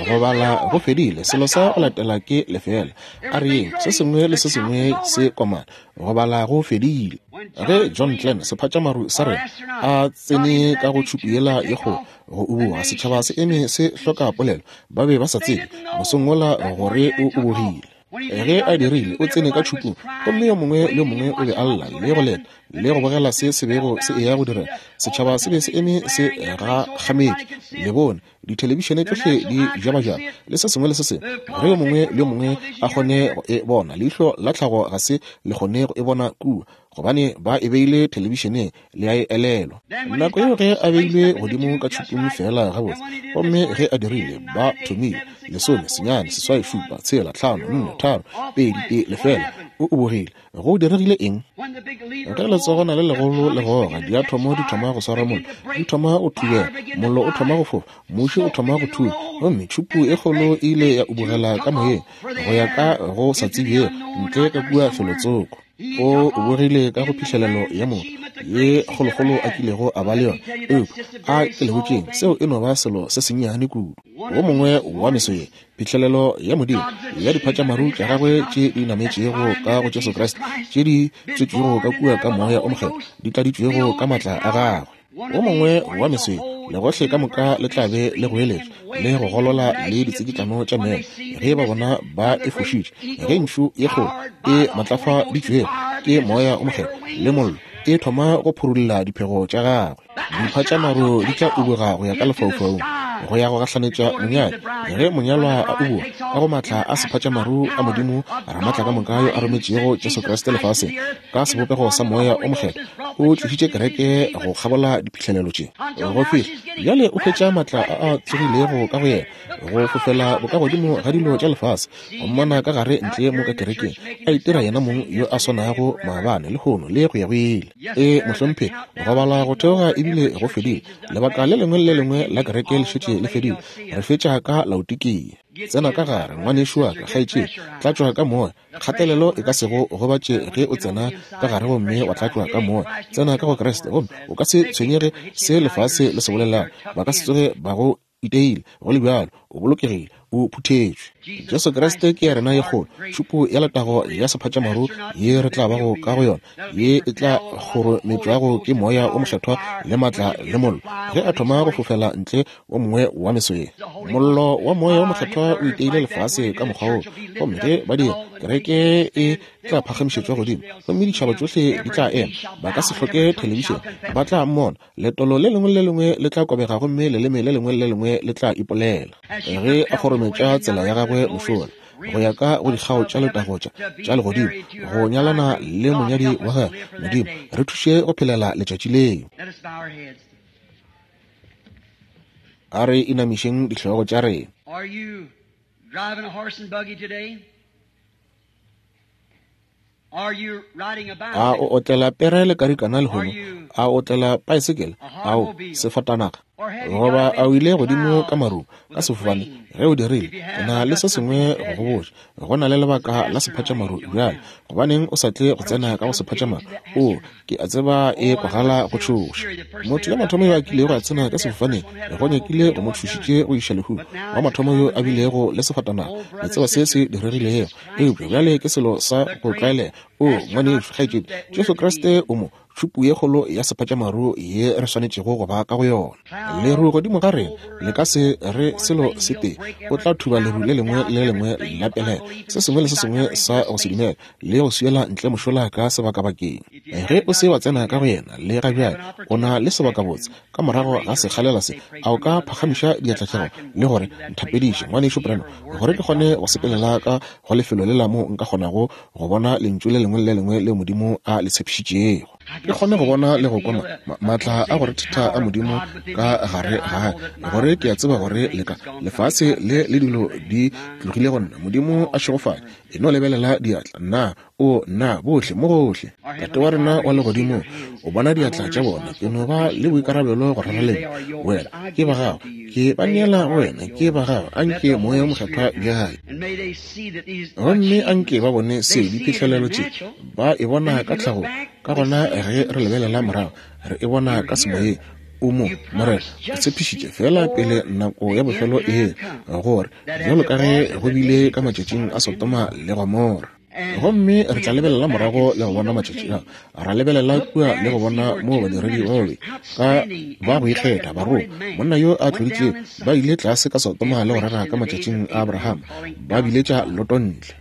Go bala go fedile, selo sa go latela ke lefeela. A re yeng, se sengwe le se sengwe se komana. Go bala go fedile. Ge John Glenn, sephatšamaru sa rena, a tsene ka go tšhupu yela ye kgolo, go uboga, setšhaba se eme se hloka polelo. Ba be ba sa tsebe mosong wola gore o ubogile. Ge a dirile, o tsene ka tšhupung, gomme yo mongwe le yo mongwe o be a lla le go leta le go bogela se se bego se eya go direga. Setšhaba se be se eme se gakgametše. Le bone dithelebišene tšohle di jabajaba le se sengwe le se sengwe, gore yo mongwe le yo mongwe a kgone go e bona. Leihlo la tlhago ga se le kgone go e bona kua, gobane ba e beile thelebišeneng. Le a e elelwa nako yeo ge a beilwe godimo ka tšhupung feela gabotse. Gomme ge a dirile, ba thomile 10, 9, 8, 7, 6, 5, 4, 3, 2, 1, lefela. O ubogile. Go diregile eng? Ge letsogwana le legolo le goga, diathomo di thoma go swara mollo, di thoma go thubega, mollo o thoma go fofa, muši o thoma go thunya, gomme tšhupu e kgolo e ile ya ubogela ka moyeng go ya ka go sa tsebjego ntle ka kua felotsoko. O ubogile ka go phihlelelo ya motho ye kgolokgolo a kilego a ba le yona. Eupša a ke le botšeng, seo e no ba selo se sennyane kudu. Wo mongwe wa meso ye, phihlelelo ya Modimo ya diphatšamaru tša gagwe tše di nametšego ka go Jesu Kriste, tše di tswetšwego ka kua ka Moya o Mokgethwa, di tladitšwego ka maatla a gagwe. Wo mongwe wa meso ye, legohle ka moka le tla be le goeletša le go golola le ditsikitlano tša meoya ge ba bona ba e fošitše, ge ntšhu ye kgolo e matlafaditšwego ke Moya o Mokgethwa le mollo e thoma go phurulla diphego tša gagwe. Dimpha tša maru di tla ubuga go ya ka lefaufaung. go ya go gahlanetša monyadi. Ge monyalwa a ubua ka go maatla a sephatšamaru a Modimo Ramaatlakamoka yo a rometšego Jesu Kriste lefaseng ka sebopego sa Moya o Mokgethwa, o tlišitše kereke go kgabola diphihlelelo tše go fihla bjale o hwetša maatla a a tsogilego ka go yena go fofela bokagodimo ga dilo tša lefase, go mmona ka gare ntle mo ka kerekeng a itira yena mong yo a swanago maabane, lehono le go ya go ile. Ee, mohlomphegi, go bala go theoga ebile go fedile. Lebaka le lengwe le le lengwe la kereke le šetše le fedile. Re fetša ka Laodikia. Tsena ka gare, ngwanešu wa ka, kgaetšedi, tlatšwa ka Moya. Kgatelelo e ka se go gobatše ge o tsena ka gare gomme wa tlatšwa ka Moya. Tsena ka go Kriste gomme o ka se tshwenyege se lefase le se bolelago. Ba ka se tsoge ba go iteile, go le bjalo o bolokegile, o phuthetšwe. Jesu Kriste ke ya rena ye kgolo, tšhupo ya letago ya sephatšamaru ye re tla bago ka go yona, ye e tla kgorometšwago ke Moya wo Mokgethwa le maatla le mollo. Ge a thoma go fofela ntle wo mongwe wa meso ye, mollo wa Moya wo Mokgethwa o iteile lefase ka mokgwa wo. Gomme ge ba dira, kereke e tla phagamišetšwa godimo, gomme ditšhaba tšohle di tla ema. Ba ka se hloke thelebišene, ba tla mmona. Letolo le lengwe le le lengwe le tla kobega gomme leleme le lengwe le le lengwe le tla ipolela. Ge a kgorometša tsela ya gagwe mošola go ya ka go dikgao tša letago tša tša legodimo go nyalana le monyadi wa gagwe, Modimo, re thuše go phelela letšatši leo. A re inamišeng dihlogo tša rena. A o otlela pere le karikana lehono? A o otlela paesekele? A o sefatanaga? Goba a o ile godimo ka marung ka sefofane? Ge o dirile, ke na le se sengwe go go botša. Go na le lebaka la sephatšamaru bjale. Gobaneng o sa tle go tsena ka go sephatšamaru? O, ke a tseba e kwagala go tšhoša. Motho ya mathomo yo a kilego a tsena ka sefofaneng go nyakile go mo tšhošitše go iša lehung. Wa mathomo yo a bilego le sefatanaga, le tseba se se diregilego. Eupša bjale ke selo sa go tlwaelega. O, ngwanešu, kgaetšedi, Jesu Kriste o mo, tšhupu ye kgolo ya sephatšamaru ye re swanetšego go ba ka go yona. Leru godimo ga rena le ka se re selo se tee. O tla thuba leru le lengwe le le lengwe la pelaelo, se sengwe le se sengwe sa go se dumela, le go swiela ntle mošola ka sebakabakeng. Ge o se wa tsena ka go yena le ga bjale, o na le sebakabotse. Ka morago ga sekgalela se, a o ka phagamiša diatla tša gago le gore, Nthapediše, Ngwanešu Branham, gore ke kgone go sepelela ka go lefelo lela moo nka kgonago go bona Lentšu le lengwe le le lengwe leo Modimo a le tshepišitšego. Ke kgone go bona le go kwa ma, ma, maatla a go rethetha a Modimo ka gare ga ka, gore ke a tseba gore le ka lefase le le dilo di tlogile go nna. Modimo a šegofale. E no lebelela diatla. Nna, o, nna, bohle, mo gohle. Tate wa rena wa Legodimong, o bona diatla tša bona. Ke no ba le boikarabelo go rera le Wena. Ke ba Gago. Ke ba neela go Wena. Ke ba Gago. A nke Moya wo Mokgethwa bjale. Gomme a nke ba bone seo, diphihlelelo tše. Ba e bona ka tlhagong. Ka gona ge re lebelela morago, re e bona ka semoyeng. O mo, Morena, o tshepišitše feela pele nako ya bofelo e gore, bjalo ka ge go bile ka matšatšing a Sodoma le Gomora. Gomme re tla lebelela morago le go bona matšatši a, ra lebelela kua le go bona moo badiredi ba babe ka ba go ikgetha, barongwa, monna yo a tloditšego, ba ile tlase ka Sodoma le go rera ka matšatšing a Abraham, ba biletša Loto ntle.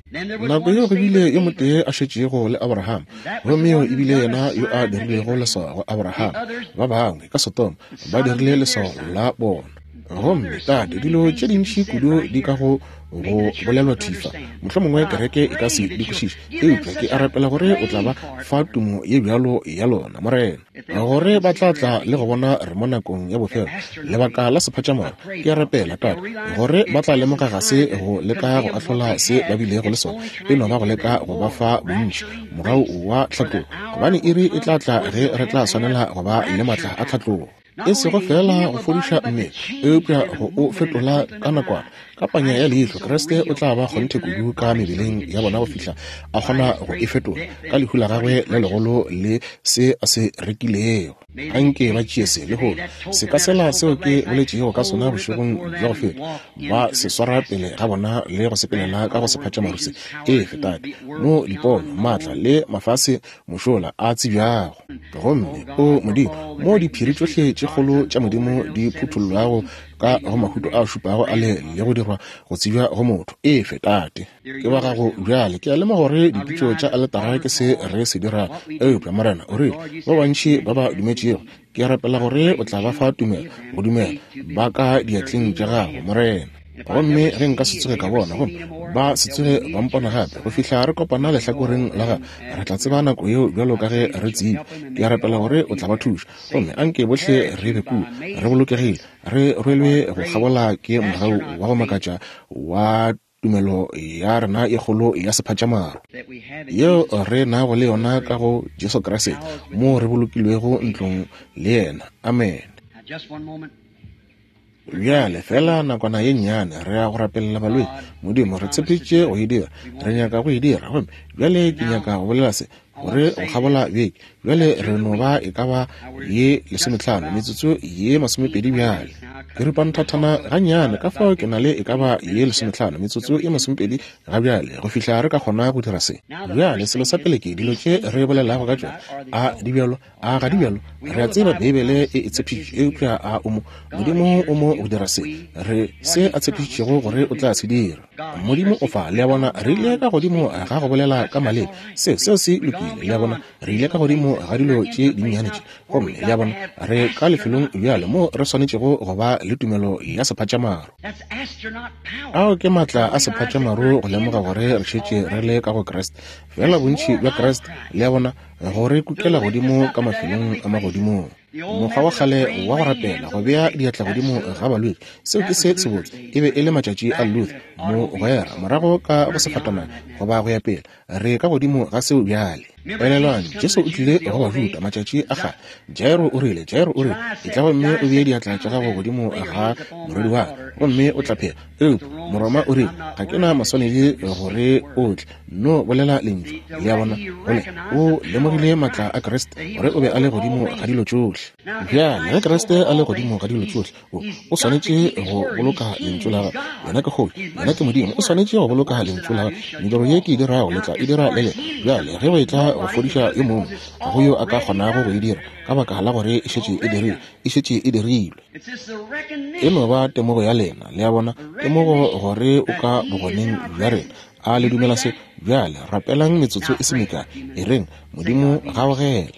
Nako yeo go bile yo motee a šetšego le Abraham, gomme yo e bile yena yo a dirilego leswao go Abraham. Ba bangwe ka Sodoma ba dirile leswao la bona. Gomme, Tate, dilo tše dintši kudu di ka go go bolelwa thwi fa, mohlomongwe kereke e ka se di kwešiše, eupša ke a rapela gore o tla ba fa tumo ye bjalo ya lona, Morena, gore ba tla tla le go bona re mo nakong ya bofelo, lebaka la sephatšamoro. Ke a rapela, Tate, gore ba tla lemoga ga se go leka go ahlola se ba bilego le sona, e no ba go leka go ba fa bontši mogau wa tlhatlogo, gobane iri e tla tla ge re tla swanela go ba le maatla a tlhatlogo. E sego feela go fodiša mmele, eupša go o fetola ka nakwana. Ka panya ya leihlo, Kriste o tla ba kgonthe kudu ka mebeleng ya bona go fihla a kgona go e fetola ka lehu la gagwe le legolo le se a se rekilego. Anke ba tšee se lehono, seka sela seo ke boletšego ka sona bošegong bja go feta, ba se swara pele ga bona le go sepelela ka go sephatšamaru se. Efe, Tate, mo dipono, maatla le mafase mošola a tsebjago. Gomme, o Modimo, mo diphiri tšohle tše kgolo tša Modimo di phuthollwago ka go Mahuto a šupago ale le go dirwa go tsebja go motho. E fe, Tate. Ke ba gago bjale. Ke a lemoga gore dipitšo tša aletara ke se re se dirago. Eupša, Morena, o rile, ba bantši ba ba dumetšego, ke a rapela gore o tla ba fa tumelo go dumela. Ba ka diatleng tša gago, Morena. Gomme ge nka se tsoge ka bona, gomme ba se tsoge ba mpona gape, go fihla re kopana lehlakoreng la gago, re tla tseba nako yeo bjalo ka ge re tsebile. Ke a rapela gore o tla ba thuša. Gomme anke bohle re be kua, re bolokegile, re rwelwe go kgabola ke mogau wa go makatša wa tumelo ya rena e kgolo ya sephatšamaru yeo re nago le yona ka go Jesu Kriste, moo re bolokilwego ntlong le yena. Amen. Bjale, feela nakwana ye nnyane, re ya go rapelela balwetši. Modimo, re tshepišitše go e dira. Re nyaka go e dira. Gomme bjale ke nyaka go bolela se, gore go kgabola beke. Bjale re no ba e ka ba ye lesometlhano, metsotso ye masomepedi bjale. Ke ripa nthathana gannyane, ka fao ke na le e ka ba ye lesometlhano, metsotso ye masomepedi ga bjale, go fihla re ka kgona go dira se. Bjale, selo sa pele ke, dilo tše re bolelago ka tšona, a di bjalo? A ga di bjalo? Re a tseba Beibele e e tshepišitše, eupša a o mo? Modimo o mo go dira se re se a tshepišitšego gore o tla se dira. Modimo o fa, le a bona, re ile ka godimo ga go bolela ka maleme. Se, seo se lokile, le a bona, re ile ka godimo ga dilo tše dinnyane tše. Gomme, le a bona, re ka lefelong bjale moo re swanetšego go ba le tumelo ya sephatšamaru. Ao ke maatla a sephatšamaru go lemoga gore re šetše re le ka go Kriste. Feela bontši bja Kriste, le a bona, go re kukela godimo ka mafelong a magodimong. Mokgwa wa kgale wa go rapela, go bea diatla godimo ga balwetši, seo ke se sebotse. E be e le matšatši a Luther, mogwera, morago ka go sefatanaga, goba go ya pele. Re ka godimo ga seo bjale. Elelwang, Jesu o tlile go Bajuda matšatši a kgale. Jairo o rile, Jairo o rile, etla gomme o bee diatla tša gago godimo ga morwedi wa ka, gomme o tla phela. Eupša Moroma o rile, Ga ke na maswanedi gore o tle, no bolela lentšu. Le a bona? Gole, o lemogile maatla a Kriste, gore o be a le godimo ga dilo tšohle. Bjale, ge Kriste a le godimo ga dilo tšohle, o, o swanetše go boloka Lentšu la Gagwe. Yena ke Kgoši, Yena ke Modimo, o swanetše go boloka Lentšu la Gagwe. Mediro ye ke e dirago, le tla e dira le lena. Bjale, ge go etla go fodiša yo mongwe, ga go yo a ka kgonago go e dira, ka baka la gore e šetše e dirilwe. E šetše e dirilwe. E no ba temogo ya lena, le a bona, temogo gore o ka bogoneng bja rena. A le dumela se? Bjale rapelang metsotso e se mekae. E reng, Modimo, gaogela.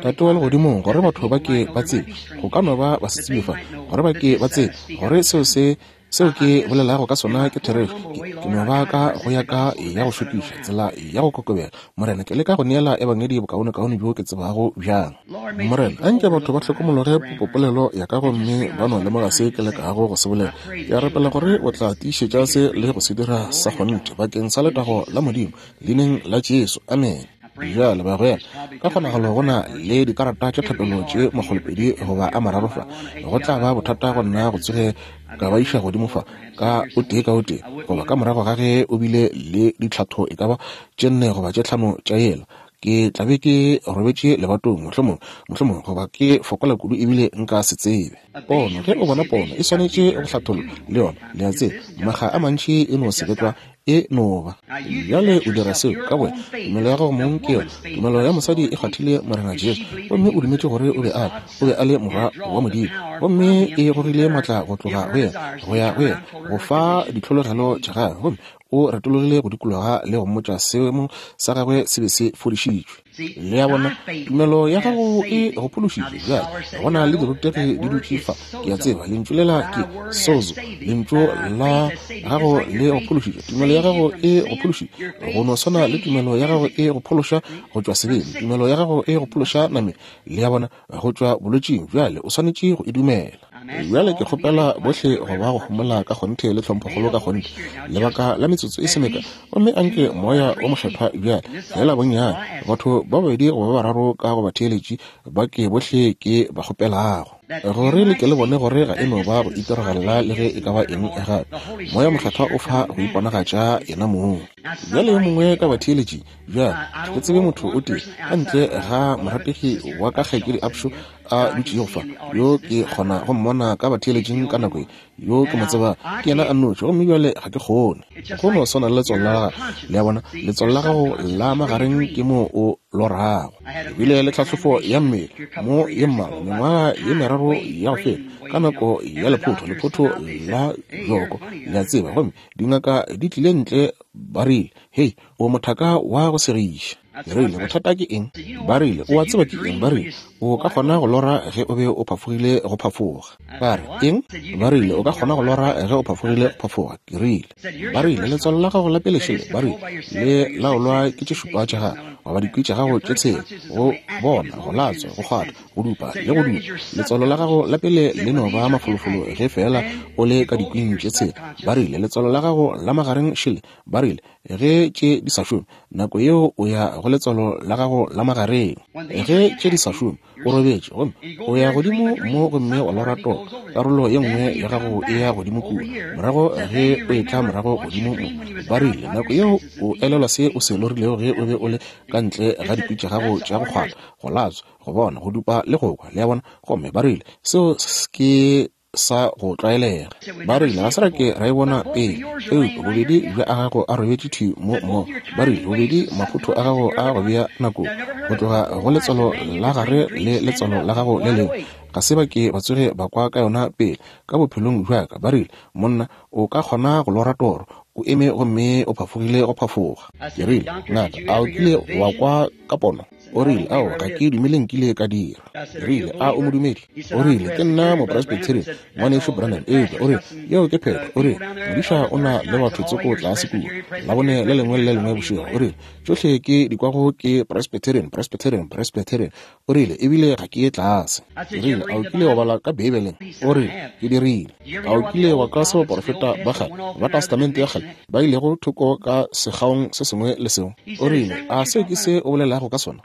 Tate wa Legodimong, gore batho ba ke ba tsebe, go ka no ba ba se tsebe fa, gore ba ke ba tsebe gore seo se Seo ke bolelago ka sona ke therešo. Ke, ke no ba ka go ya ka ya go šokiša, tsela ya go kokobela. Morena, ke leka go neela Ebangedi bokaonekaone bjo ke tsebago bjang. Morena, a nke batho ba hlokomologe popopolelo ya ka gomme ba no lemoga se ke lekago go se bolela. Ke a rapela gore O tla tiišetša se le go se dira sa kgonthe, bakeng sa letago la Modimo, Leineng la Jesu. Amene. Bjale, bagwera, ka kgonagalo go na le dikarata tša thapelo tše makgolopedi goba a mararo fa. Go tla ba bothata go nna go tsoge ka ba iša godimo fa ka o tee ka o tee, goba ka morago ga ge o bile le ditlhatho e ka ba tše nne goba tše tlhano tša yela. Ke tla be ke robetše lebatong, mohlomongwe, mohlomongwe, goba ke fokola kudu ebile nka se tsebe. Pono, ge o bona pono, e swanetše go hlathollwa, le yona, le a tseba. Makga a mantši e no se be tlwa, e no ba. Bjale o dira seo ka bowena. Tumelo ya gago mong ke yona. Tumelo ya mosadi e kgwathile Morena Jesu, gomme o dumetše gore o be a, o be a le Morwa wa Modimo. Gomme e gogile maatla go tloga go yena, go ya go yena, go fa ditlhologelo tša gagwe. Gomme o retologile go dikologa le go mmotša seemo sa gagwe se be se fodišitšwe. Le a bona, tumelo ya gago e go phološitše. Bjale, go na le dirutegi di dutše fa. Ke a tseba lentšu lela ke sozo. Lentšu la gago le go phološitše. Tumelo ya gago e go phološitše. Go no swana le tumelo ya gago e go phološa go tšwa sebeng. Tumelo ya gago e go phološa nameng. Le a bona, go tšwa bolwetšing. Bjale, o swanetše go e dumela. Bjale ke kgopela bohle go ba go homola ka kgonthe le tlhomphokgolo ka kgonthe, lebaka la metsotso e se mekae, gomme anke Moya wo Mokgethwa bjale, feela bonnyane, batho ba babedi goba ba bararo ka go batheeletši ba ke bohle ke ba kgopelago, gore le ke le bone gore ga e no ba go itiragalela le ge e ka ba eng gape. Moya Mokgethwa o fa go iponagatša Yenamong. Bjale yo mongwe ka batheeletšing, bjale, ga ke tsebe motho o tee, ka ntle ga morategi wa ka Kgaetšedi Upshaw, a dutšego fa, yo ke kgona go mmona ka batheeletšing ka nako ye, yo ke mo tseba, ke yena a nnoši, gomme bjale ga ke kgone. Go no swana le letswalo la gago, le a bona, letswalo la gago la magareng ke moo o lorago. Ke bile le tlhahlofo ya mmele mo ye mmalwa mengwaga ye meraro ya go feta, ka nako ya lephotho, lephotho la joko, le a tseba. Gomme dingaka di tlile ntle, ba rile, Hei, o mothaka wa go segiša. Ke rile, Bothata ke eng? Ba rile, O a tseba ke eng? Ba rile, O ka kgona go lora ge o be o phafogile go phafoga. Ba re, Eng? Ba rile, O ka kgona go lora ge o phafogile go phafoga. Ke rile. Ba rile, Letswalo la gago la pele šele, ba rile, le laolwa ke tše šupa tša gago, goba dikwi tša gago tše tshela, go bona, go latswa, go kgwatha, go dupa le go dupa. Letswalo la gago la pele le no ba mafolofolo ge feela o le ka dikwing tše tshela. Ba rile, Letswalo la gago la magareng šele, ba rile, Ge tše di sa šome, nako yeo o ya go letswalo la gago la magareng. Ge tše di sa šome, o robetše gomme o ya godimo mo gomme wa lora toro, karolo ye nngwe ya gago e ya godimo kua. Morago ge o etla morago godimo mo, ba rile, nako yeo o elelwa se o se lorilego ge o be o le ka ntle ga dikwi tša gago tša go kgwatha, go latswa, go bona, go dupa le go kwa. Le a bona? Gomme ba rile, Seo ke sa go tlwaelega. Ba rile, Ga se ra ke ra e bona pele, eupša bobedi bja a gago a robetše thwi mo mmogo. Ba rile, Bobedi maphotho a gago a go bea nakong, go tloga go letswalo la gare le letswalo la gago le lengwe. Ga se ba ke ba tsoge ba kwa ka yona pele, ka bophelong bja ka. Ba rile, Monna, o ka kgona go lora toro, o eme gomme o phafogile go phafoga. Ke rile, Ngaka, a o kile wa kwa ka pono? O rile, Aowa, ga ke dumele nkile ka dira. Ke rile, A o modumedi? O rile, Ke nna Mopresbyterian, Ngwanešu Branham. Eupša, o rile, yeo ke phetho. O rile, Modiša o na le batho tsoko tlase kua, Labone le lengwe le le lengwe bošego. O rile, Tšohle ke di kwago ke Presbyterian, Presbyterian, Presbyterian. O rile, Ebile ga ke ye tlase. Ke rile, A o kile wa bala ka Beibeleng? O rile, Ke dirile. A o kile wa kwa se baporofeta ba kgale ba Testamente ya Kgale ba ilego thoko ka sekgaong se sengwe le sengwe? O rile, A seo ke se o bolelago ka sona?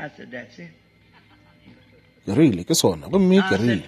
Ke rile, Ke sona. Gomme ke rile,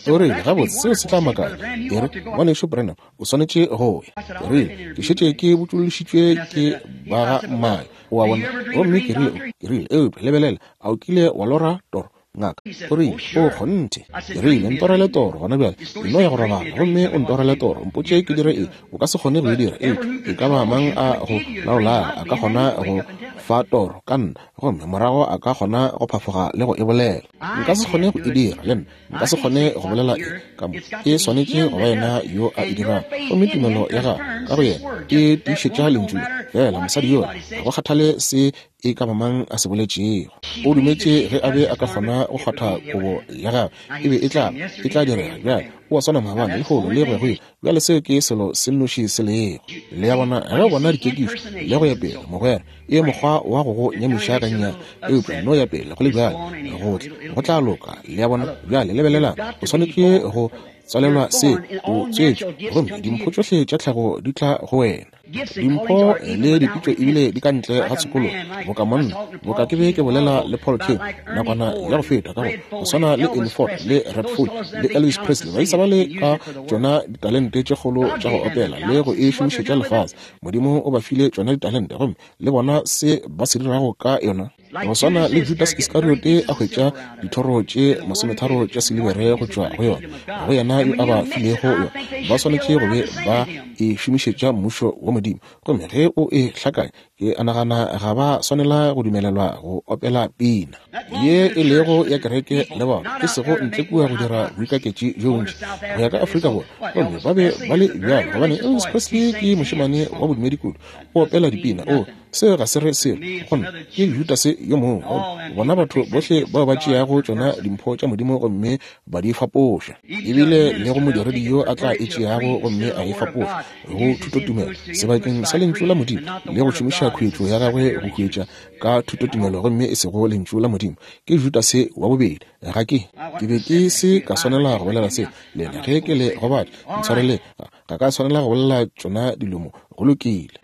O rile, Gabotse, seo se tla makatša. Ke re, Ngwanešu Branham, o swanetše go ya. Ke rile, Ke šetše ke botšološitšwe ke ba ga mmae. O a bona? Gomme ke rile, ke rile, Eupša, lebelela, a o kile wa lora toro, ngaka? O rile, O kgonthe. Ke rile, Ntorele toro gona bjale. E no ya go robala gomme o ntorele toro. Mpotše ke dire eng. O ka se kgone go e dira, eupša e ka ba mang a go laolago a ka kgona go fa toro ka nna, gomme morago a ka kgona go phafoga le go e bolela. Nka se kgone go e dira, le nna. Nka se kgone go bolela e ka mo. E swanetše go ba yena yo a e dirago. Gomme tumelo ya gago ka go yena e tiišetša Lentšu le. Feela mosadi yola, ga go kgathale se e ka ba mang a se boletšego, o dumetše ge a be a ka kgona go kgwatha kobo ya gagwe, e be e tla, e tla direga. Bjale, o a swana maabane, lehono, le go ya go ile. Bjale seo ke selo se nnoši se lego. Le a bona, ge o bona dikekišo le go ya pele, mogwera, e mokgwa wa go go nyamiša gannyane, eupša no ya pele go le bjalo, go tla, go tla loka. Le a bona? Bjale lebelelang, o swanetše go tswalelwa se, o tswetšwe, gomme dimpho tšohle tša tlhago di tla go wena. Dimpho le dipitšo ebile di ka ntle ga tshokologo, boka monna, boka ke be ke bolela le Paul Cain nakwana ya go feta, ka go go swana le Ernie Ford le Red Foley le Elvis Presley, baisa ba le ka tšona ditalente tše kgolo tša go opela le go e šomišetša lefase. Modimo o ba file tšona ditalente, gomme le bona se ba se dirago ka yona. Go swana le Judas Iskariote a hwetša dithoro tše masometharo tša silibere go tšwa go yona, go yena yo a ba filego yona, ba swanetše go be ba e šomišetša mmušo wa Modimo. Gomme ge o e hlakanya, ke a nagana ga ba swanela go dumelelwa go opela pina ye e lego ya kereke le bona, e sego ntle kua go dira boikaketši bjo bontši go ya ka Afrika Borwa. Gomme ba be ba le bjalo gobane Elvis Presley ke mošemane wa bodumedi kudu, o opela dipina, o Se ga se re selo go nna. Ke Judase yo mongwe. Gomme bona batho bohle bao ba tšeago tšona dimpho tša Modimo gomme ba di fapoša, ebile le go modiredi yo a tla e tšeago gomme a e fapoša go thutotumelo sebakeng sa Lentšu la Modimo, le go šomiša khuetšo ya gagwe go huetša ka thutotumelo gomme e sego Lentšu la Modimo, ke Judase wa bobedi. Ga ke, ke be ke se ka swanela go bolela se lena ge ke le gobatša. Ntshwareleng. Ga ka swanela go bolela tšona dilo mo. Go lokile.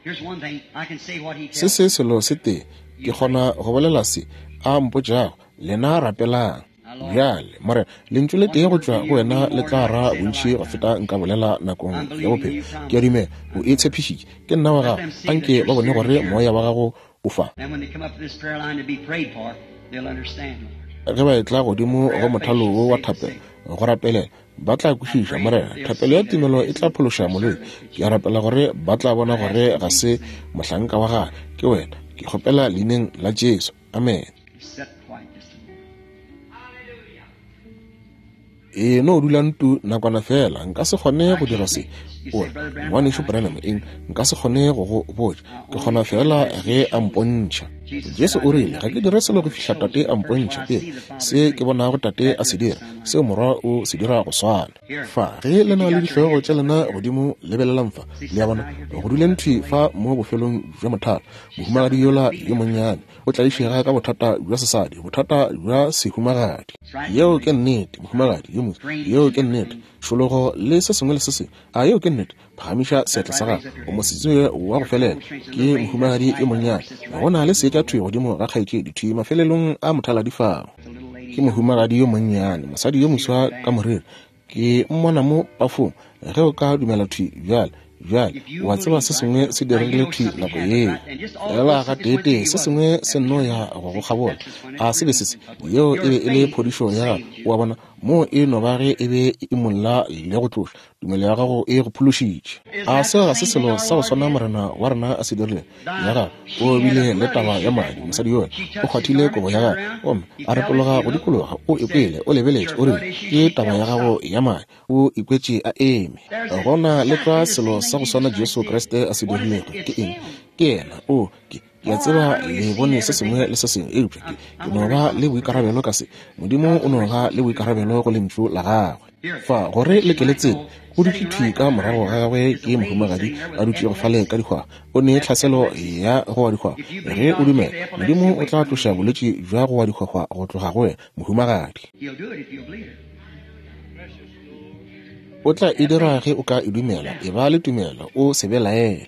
Se se selo se tee, ke kgona go bolela se A mpotšago. Lena rapelang. Bjale, Morena, lentšu le tee go tšwa go wena le tla ra bontši go feta nka bolela nakong ya bophelo. Ke a dumela O e tshepišitše. Ke nna wa Gago. Anke ba bone gore Moya wa Gago o fa. Ge ba etla godimo go mothalo wo wa thapelo, go rapelela, Ba tla kwešiša, Morena. Thapelo ya tumelo e tla phološa molwetši. Ke a rapela gore ba tla bona gore ga se mohlanka wa gagwe, ke Wena. Ke kgopela Leineng la Jesu. Amene. E no dula ntu nakwana fela, nka se kgone go dira se. O re, Ngwanešu Branham, eng, nka se kgone go go botša. Ke kgona fela ge a mpontšha. Jesu o rile, ga ke dire selo go fihla Tate a mpontšha pele. Se ke bonago Tate a se dira, seo Morwa o se dira go swana. Fa, ge le na le dihlogo tša lena godimo, lebelelang fa. Le a bona, go duleng thwi fa mo bofelong bja mothalo, mohumagadi yola yo monnyane o tlaišega ka bothata bja sesadi, bothata bja sehumagadi. Yeo ke nnete, mohumagadi yo moswi. Yeo ke nnete. Tšhologo le se sengwe le se sengwe. A yeo ke nnete? Phagamiša seatla sa gago. O mosetsebje wa go felela. Ke mohumagadi yo monnyane. Go na le seetša thwi godimo ga kgaetšedi, thwi mafelelong a mothaladi fao. Ke mohumagadi yo monnyane, mosadi yo moswa ka moriri. Ke mmona mo pafong. Ge o ka dumela thwi bjale, bjale, wa tseba se sengwe se diregile thwi nako yeo. Fela gateetee se sengwe se nno ya go go kgabola. A se be se se? Yeo e be e le phodišo ya gago. O a bona, moo e no ba ge e be e imolla le go tloša. Tumelo ya gago e go phološitše. A seo ga se selo sa go swana Morena wa rena a se dirilego? Ya gagwe, o bile le taba ya madi, mosadi yola o kgwathile kobo ya gagwe gomme a retologa go dikologa, o ikwele, o lebeletše, o rile, Ke taba ya gago ya madi. O ikwetše a eme. Go na le tlwa selo sa go swana Jesu Kriste a se dirilego. Ke eng? Ke Yena. O, ke, ke a tseba le bone se sengwe le se sengwe, eupša ke, ke no ba le boikarabelo ka se. Modimo o no ba le boikarabelo go Lentšu la Gagwe. Fa, gore le ke le tsebe, go dutše thwi ka morago ga gagwe ke mohumagadi a dutšego fale ka dihwahwa. O ne tlhaselo ya go wa dihwahwa. Ge o dumela, Modimo o tla tloša bolwetši bja go wa dihwahwa go tloga go wena, mohumagadi. O tla e dira ge o ka e dumela. Eba le tumelo, o se belaele.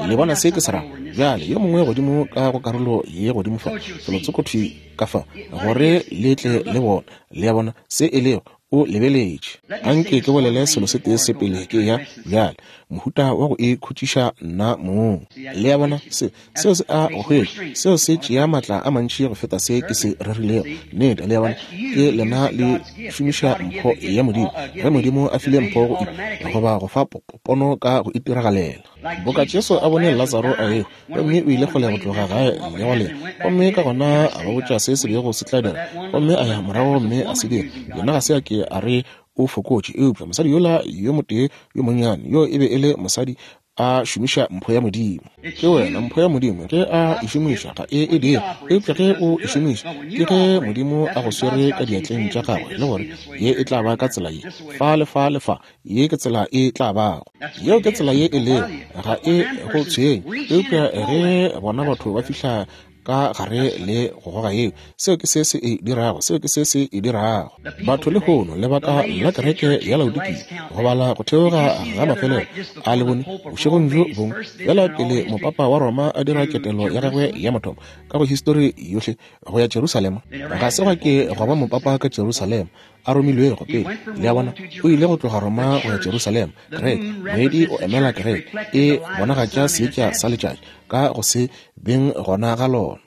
Le bona se ke se rago? Bjale, yo mongwe godimo ka go karolo ye godimo fa, felotsoko thwi ka fa, gore le tle le bone. Le a bona se e lego? O lebeletše. Anke ke bolele selo se tee se pele ke eya bjale, mohuta wa go ikhutšiša nna mong. Le a bona? Se, seo se a go hwetša. Seo se tšea maatla a mantši go feta se ke se rerilego. Nnete, le a bona? Ke lena le šomiša mpho ya Modimo. Ge Modimo a file mpho go goba go fa pono ka go itiragalela. Boka Jesu a bone Latsaro a ehwa, gomme o ile kgole go tloga gae le go lena, gomme ka gona a ba botša se se bego se tla dira, gomme a ya morago gomme a se dira. Yena ga se a ke a re o fokotše, eupša mosadi yola yo motee yo monnyane, yo e be e le mosadi a šomiša mpho ya Modimo. Ke wena mpho ya Modimo, ge a e šomiša ga e e dire, eupša ge o e šomiša, ke ge Modimo a go swere ka diatleng tša gagwe le gore ye e tla ba ka tsela ye, fa le fa le fa, ye ke tsela e tla bago. Yeo ke tsela ye e lego, ga e go tshwenye. Eupša ge bona batho ba fihla ka gare le go goga yeo, seo ke se se e dirago, seo ke se se e dirago. Batho lehono, lebaka la kereke ya Laodikia, go bala go theoga ga mafelelo a le bone bošegong bjo bongwe, bjala pele mopapa wa Roma a dira ketelo ya gagwe ya mathomo ka go histori yohle go ya Jerusalema, ga se gwa ke gwa ba mopapa ka Jerusalema a romilwego pele. Le a bona, o ile go tloga Roma go ya Jerusalema. Kereke, moedi o emela kereke, e bonagatša seetša sa letšatši ka go se beng gona ga lona.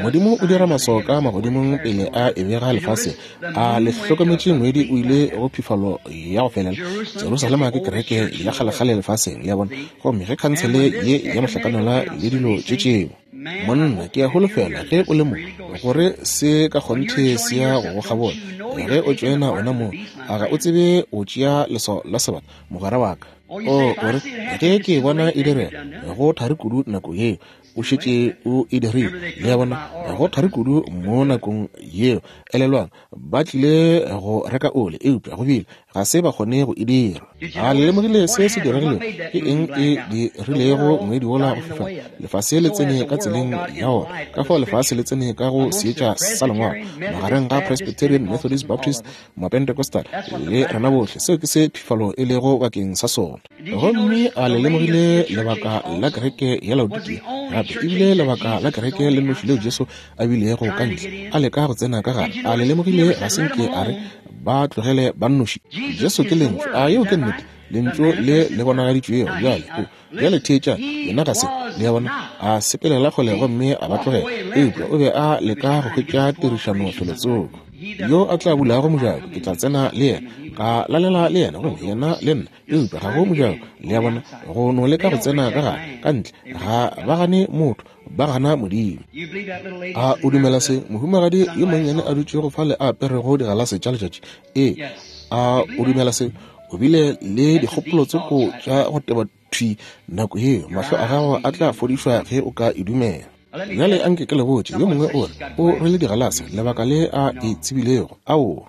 Modimo o dira maswao ka magodimong pele a e bega lefaseng. A le hlokometše moedi o ile go phifalo ya go felela? Jerusalema ke kereke ya kgalekgale lefaseng, le a bona. Gomme ge khansele ye ya mohlakanelwa le dilo tše tšeo. Monna, ke a holofela ge o le mo, gore se ka kgonthe se ya go go kgabola. Ge o tšoena ona mo, a ga o tsebe o tšea leswao la sebata, mogwera wa ka? O, o re, ge ke e bona e direga, go thari kudu nako yeo. O šetše o e dirile. Le a bona, go thari kudu mo nakong yeo. Elelwang, ba tlile go reka oli, eupša go bile ga se ba kgone go e dira. A le lemogile se se diregilego? Ke eng e dirilego moedi wola go fifala? Lefase le tsene ka tseleng ya wona. Ka fao lefase le tsene ka go seetša sa Lengwalo, magareng ga Presbyterian, Methodist, Baptist, Mapentecostal le rena bohle. Seo ke se phifalo e lego bakeng sa sona. Gomme a le lemogile lebaka la kereke ya Laodikia gape e bile lebaka la kereke le nnoši leo Jesu a bilego ka ntle a leka go tsena ka gare. A le lemogile ga se nke a re ba tlogele ba nnoši? Jesu ke Lentšu. A yeo ke nnete? Lentšu le le bonagaditšwego. Bjale, o, bjale theetša, yena ga se, le a bona, a sepelela kgole gomme a ba tlogela, eupša o be a leka go hwetša tirišano felotsoko. Yo a tla bulago mojako, ke tla tsena le yena, ka lalela le yena, gomme yena le nna. Eupša ga go mojako, le a bona, go no leka go tsena ka gare, ka ntle. Ga ba gane motho. Ba gana Modimo. A o dumela se, mohumagadi yo monnyane a dutšego fale a aperego digalase tša letšatši? Ee. A o dumela se? O bile le dikgopolo tsoko tša go teba thwi nako yeo. Mahlo a gago a tla fodišwa ge o ka e dumela. Bjale anke ke le botše, yo mongwe o re o rwele digalase, lebaka le a e tsebilego. Aowa.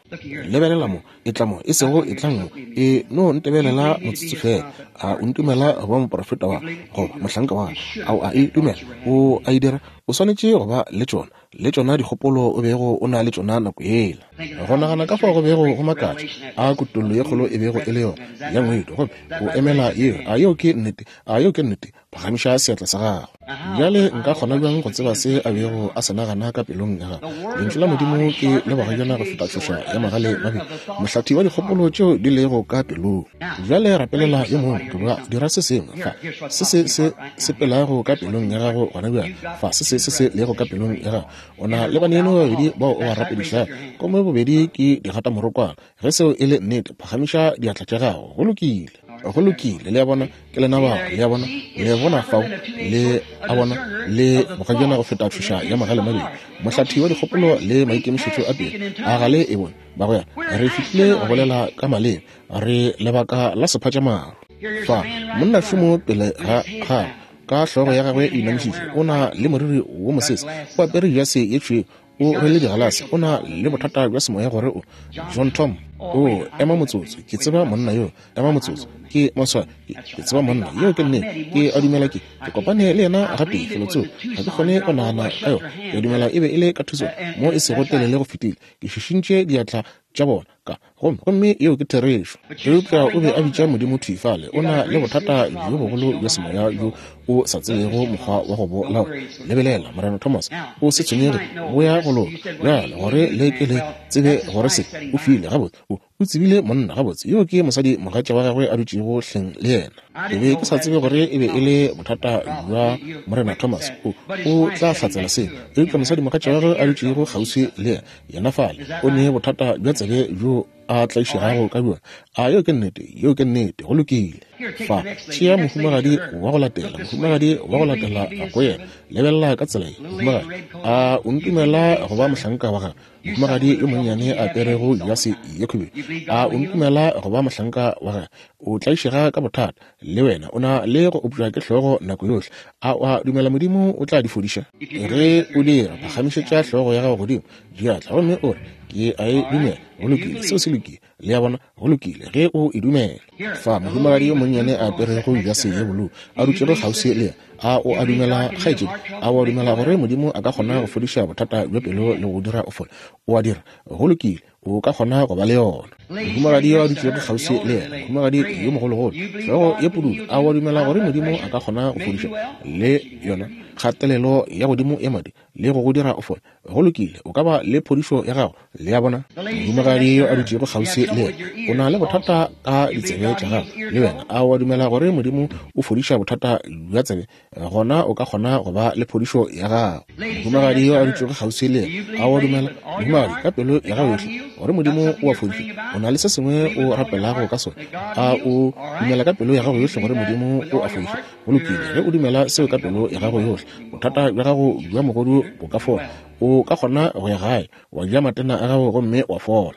Lebelela mo, etla mo, e sego etlang mo, e no ntebelela motsotso fela. A o ntumela go ba moprofeta wa goba mohlanka wa? A o a e dumela? O a e dira? O swanetše go ba le tšona, le tšona dikgopolo o bego o na le tšona nako yela. Go nagana ka fao go bego go makatša, a kutollo ye kgolo e bego e le yona ya ngwedi, gomme o emela yeo. A yeo ke nnete? A yeo ke nnete? Phagamiša seatla sa gago. Bjale nka kgona bjang go tseba se a bego a se nagana ka pelong ya gagwe? Lentšu la Modimo ke le bogajana go feta tšhoša ya magale mabedi, mohlathi wa dikgopolo tšeo di lego ka pelong. Bjale rapelela yo mongwe, goba dira se sengwe. Fa se se se sepelago ka pelong ya gago gona bjale. Fa se se se se lego ka pelong ya gago. O na le baneno ba babedi bao o ba rapedišago, gomme bobedi ke digatamorokwana. Ge seo e le nnete, phagamiša diatla tša gago. Go lokile. Go lokile. Le a bona, ke lena bao. Le a bona, le bona fao, le a bona, le bogajana go feta tšhoša ya magale mabedi, mohlathi wa dikgopolo le maikemišetšo a pelo. A ga le e bone, bagwera? Re fihlile go bolela ka maleme. Re lebaka la sephatšamaru. Fa, monna šomo pele ga gagwe, ka hlogo ya gagwe e inamišitšwe, o na le moriri wo mosese, o apere jase ye tšhweu, o rwele digalase, o na le bothata bja semoya gore o John Tom. O ema motsotso, ke tseba monna yo. Ema motsotso, ke maswa, ke tseba monna yo, ke nnete, ke a dumela ke ke kopane le yena gape felotsoko. Ga ke kgone go nagana ka yona. Ke a dumela e be e le ka thuso mo e sego telele go fetile. Ke šišintše diatla tša bona ka gomme, gomme yeo ke therešo. Eupša o be a bitša Modimo thwi fale. O na le bothata bjo bogolo bja semoya bjo o sa tsebego mokgwa wa go bo laola. Lebelela, Morena Thomas, o se tshwenyege, bo ya go loka. Bjale, gore le ke le tsebe gore se o file gabotse, o, o tsebile monna gabotse. Yo ke mosadi mogatša wa gagwe a dutšego hleng le yena. Ke be ke sa tsebe gore e be e le bothata bja Morena Thomas. O, o tla hlatsela se. Eupša mosadi mogatša wa gagwe a dutšego kgauswi le yena, Yena fale o ne bothata bja tsebe bjo a tlaišegago ka bjona. A yeo ke nnete? Yeo ke nnete. Go lokile. Fa, tšea mohumagadi wa go latela, mohumagadi wa go latela go yena. Lebelela ka tsela ye, mohumagadi. A o ntumela go ba mohlanka wa gagwe? Mohumagadi yo monnyane a aperego jase ye khubedu. A o ntumela go ba mohlanka wa gagwe? O tlaišega ka bothata, le wena. O na le go opša ke hlogo nako yohle. A o a dumela Modimo o tla di fodiša? Ge o dira, phagamišetša hlogo ya gago godimo, diatla, gomme o re, Ke a e dumela. Go lokile, seo se lokile. Le a bona? Go lokile, ge o e dumela. Fa, mohumagadi yo monnyane a aperego jase ye bolou, a dutšego kgauswi le yena. A o a dumela, kgaetšedi? A o a dumela gore Modimo a ka kgona go fodiša bothata bja pelo le go dira o fole? O a dira? Go lokile. O ka kgona go ba le yona. Mohumagadi yo a dutšego kgauswi le yena, mohumagadi yo mogologolo, hlogo ye pududu, a wa dumela gore Modimo a ka kgona go fodiša le yona kgatelelo ya godimo ya madi le go go dira o fole? Go lokile, o ka ba le phodišo ya gago. Le a bona? Mohumagadi yo a dutšego kgauswi le yena, o na le bothata ka ditsebe tša gago, le wena. A wa dumela gore Modimo o fodiša bothata bja tsebe? Gona o ka kgona go ba le phodišo ya gago. Mohumagadi yo a dutšego kgauswi le yena, a wa dumela, mohumagadi, ka pelo ya gago yohle, gore Modimo o a fodiša? O na le se sengwe o rapelago ka sona. A o dumela ka pelo ya gago yohle gore Modimo o a fodiša? Go lokile, ge o dumela seo ka pelo ya gago yohle, bothata bja gago bja mogodu bo ka fola. O ka kgona go ya gae, wa ja matena a gago gomme wa fola.